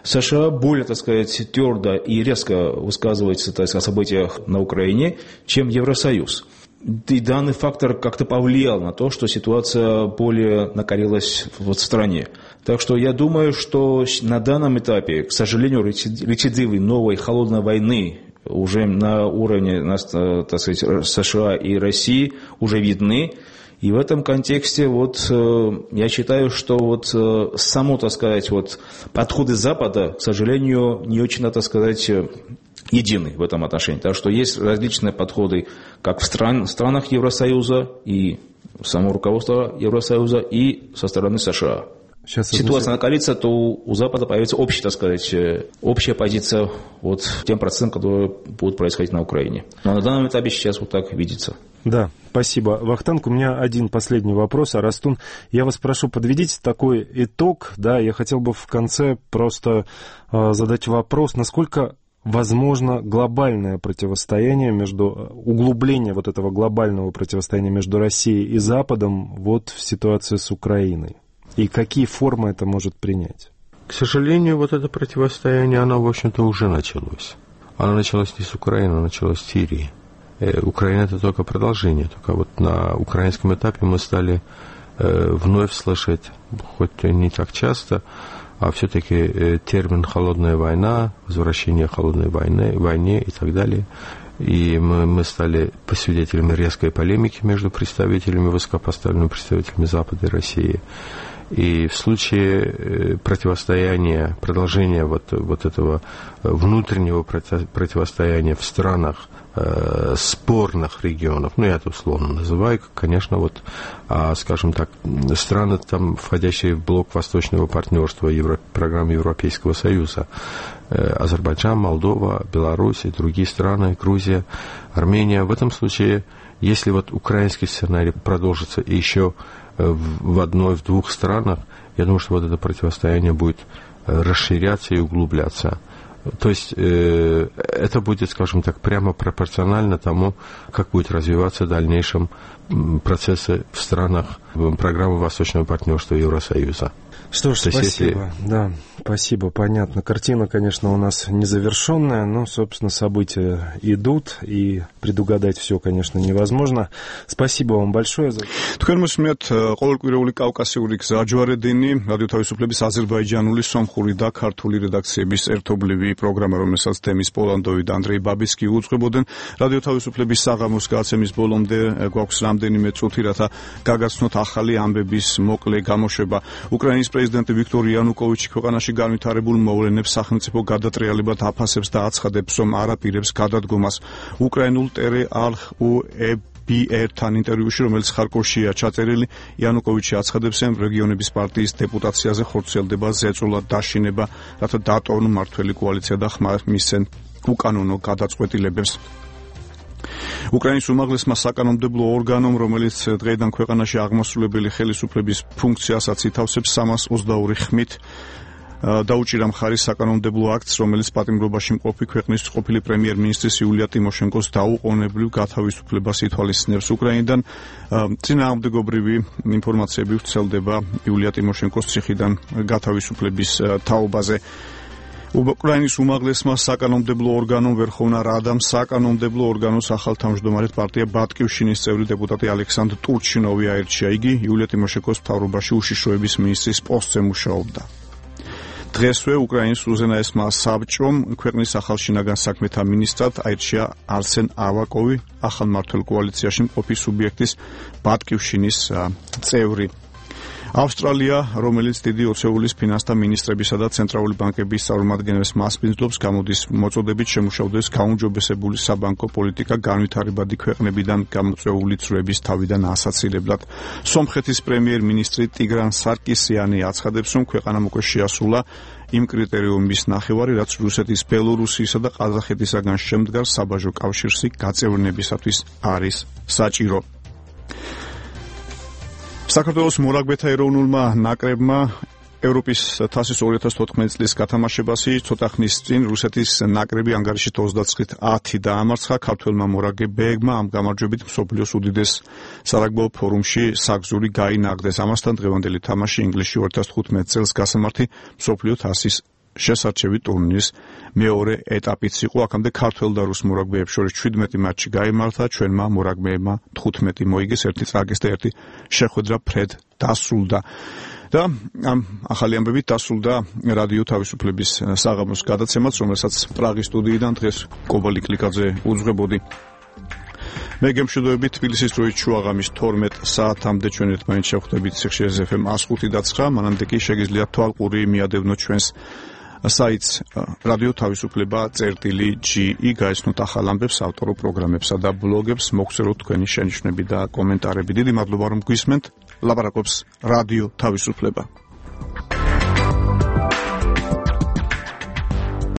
США более, так сказать, твердо и резко высказывается, так сказать, о событиях на Украине, чем Евросоюз. И данный фактор как-то повлиял на то, что ситуация более накалилась в стране. Так что я думаю, что на данном этапе, к сожалению, рецидивы новой холодной войны уже на уровне, так сказать, США и России уже видны. И в этом контексте я считаю, что само, так сказать, подходы Запада, к сожалению, не очень, так сказать, едины в этом отношении. Так что есть различные подходы как в странах Евросоюза и само руководство Евросоюза и со стороны США. Сейчас ситуация накалится, то у Запада появится общая, так сказать, общая позиция тем процессам, которые будут происходить на Украине. Но на данном этапе сейчас так видится. Да, спасибо. Вахтанг, у меня один последний вопрос. Арастун, я вас прошу, подведите такой итог. Да, я хотел бы в конце просто задать вопрос, насколько возможно глобальное противостояние углубление этого глобального противостояния между Россией и Западом в ситуации с Украиной? И какие формы это может принять? К сожалению, это противостояние, оно, в общем-то, уже началось. Оно началось не с Украины, оно началось с Сирии. Украина – это только продолжение. Только на украинском этапе мы стали вновь слышать, хоть не так часто, а все-таки термин «холодная война», возвращение холодной войне и так далее. И мы стали свидетелями резкой полемики между высокопоставленными представителями Запада и России. И в случае противостояния, продолжения этого внутреннего противостояния в странах спорных регионов, я это условно называю, конечно, скажем так, страны, входящие в блок Восточного партнерства программы Европейского Союза, Азербайджан, Молдова, Беларусь и другие страны, Грузия, Армения. В этом случае, если украинский сценарий продолжится и еще в одной, в двух странах, я думаю, что это противостояние будет расширяться и углубляться. То есть это будет, скажем так, прямо пропорционально тому, как будет развиваться в дальнейшем процессы в странах программы Восточного партнерства Евросоюза. Что ж, спасибо. Да, спасибо, понятно. Картина, конечно, у нас незавершенная, но, собственно, события идут, и предугадать все, конечно, невозможно. Спасибо вам большое. Თქვენ მოსმენთ ყოველკვირეული კავკასიური გზაჯვარედინი, რადიო თავისუფლების აზერბაიჯანული, სომხური და ქართული რედაქციების ერთობლივი პროგრამა, რომელსაც თემის პოლანდოვი და ანდრეი ბაბისკი უძღვებოდნენ. რადიო თავისუფლების საღამოს გაცემის ბოლომდე გვაქვს რამდენიმე წუთი, რათა გაგაცნოთ ახალი ამბების მოკლე გამოშვება. უკრაინის პრეზიდენტი ვიქტორ იანუკოვიჩი ქვეყანაში განვითარებულ მოვლენებს სახელმწიფო გადატრიალებად აფასებს და აცხადებს, რომ არ აპირებს გადადგომას. უკრაინულ BR-თან ინტერვიუში, რომელიც ხარკოვშია ჩაწერილი, იანუკოვიჩი აცხადებს, რომ რეგიონების პარტიის დეპუტაციაზე ხორციელდება ზეწოლა დაშინება, რათა დაატოვონ მმართველი კოალიცია და ხმარ მისცენ უკანონო გადაწყვეტილებებს. უკრაინის უმაღლესმა საკანონმდებლო ორგანომ, რომელიც დღეიდან ქვეყანაში აღმასრულებელი ხელისუფლების ფუნქციასაც ითავსებს, 322 ხმით დაუჭირა მხარი საკანონმდებლო აქტს, რომელიც პატიმრობაში მყოფი ქვეყნის ყოფილი პრემიერ-მინისტრის იულია ტიმოშენკოს დაუყოვნებლივ გათავისუფლებას ითვალისწინებს. უკრაინიდან წინააღმდეგობრივი ინფორმაციები ვრცელდება იულია ტიმოშენკოს ციხიდან გათავისუფლების თაობაზე. უკრაინის უმაღლესმა საკანონმდებლო ორგანომ ვერხოვნა რადამ საკანონმდებლო ორგანოს ახალთავმჯდომარედ პარტია ბატკივშინის წევრი დეპუტატი ალექსანდრ ტურჩინოვი აირჩია. იგი იულია ტიმოშენკოს მთავრობაში უშიშროების მინისტრის პოსტზე მუშაობდა. დღესვე უკრაინის უზენაესმა საბჭომ ქვეყნის ახალ შინაგან საქმეთა მინისტრად აირჩია არსენ ავაკოვი, ახალ მმართველ კოალიციაში მყოფი სუბიექტის ბატკივშინის წევრი. ავსტრალია, რომელიც დიდი ოცეულის ფინანსთა მინისტრებისა და ცენტრალური ბანკების წარმომადგენლებს მასპინძლობს, გამოდის მოწოდებით შემუშავდეს გაუმჯობესებული საბანკო პოლიტიკა განვითარებადი ქვეყნებიდან გამოწვეული წრეების თავიდან ასაცილებლად. სომხეთის პრემიერ-მინისტრი ტიგრან სარკისიანი აცხადებს, რომ ქვეყანამ უკვე შეასრულა იმ კრიტერიუმის ნახევარი, რაც რუსეთის, ბელორუსიისა და ყაზახეთისაგან შემდგარ საბაჟო კავშირში გაწევრიანებისათვის არის საჭირო. საქართველოს მორაგბეთა ეროვნულმა ნაკრებმა ევროპის თასის 2014 წლის გათამაშებაში ცოტა ხნის წინ რუსეთის ნაკრები ანგარიშით 29-10 დაამარცხა. ქართველმა მორაგბეებმა ამ გამარჯვებით მსოფლიოს უდიდეს სარაგბო ფორუმში საგზური გაინაღდეს. ამასთან დღევანდელი თამაში ინგლისში 2015 წელს გასამართი მსოფლიო თასის შესარჩევი ტურნირის მეორე ეტაპიც იყო. აქამდე ქართველ და რუს მორაგბეებს შორის 17 მატჩი გაიმართა. ჩვენმა მორაგბეებმა 15 მოიგეს, ერთი წაგეს და ერთი შეხვედრა ფრედ დასრულდა. და ამ ახალი ამბებით დასრულდა რადიო თავისუფლების საღამოს გადაცემაც, რომელსაც პრაღის სტუდიიდან დღეს კობალი კლიკაძე უძღვებოდი. მე გემშვიდობებით თბილისის დროით შუაღამის 12 საათამდე ჩვენ ერთმანეთს შევხვდებით სიხშირე FM 105.9. მანამდე კი შეგიძლიათ თვალყური მიადევნოთ ჩვენს საიტს რადიო თავისუფლება.ge გაეცნოთ ახალ ამბებს, ავტორო პროგრამებსა და ბლოგებს, მოგხსენოთ თქვენი შენიშვნები და კომენტარები. დიდი მადლობა რომ გვისმენთ. ლაპარაკობს რადიო თავისუფლება.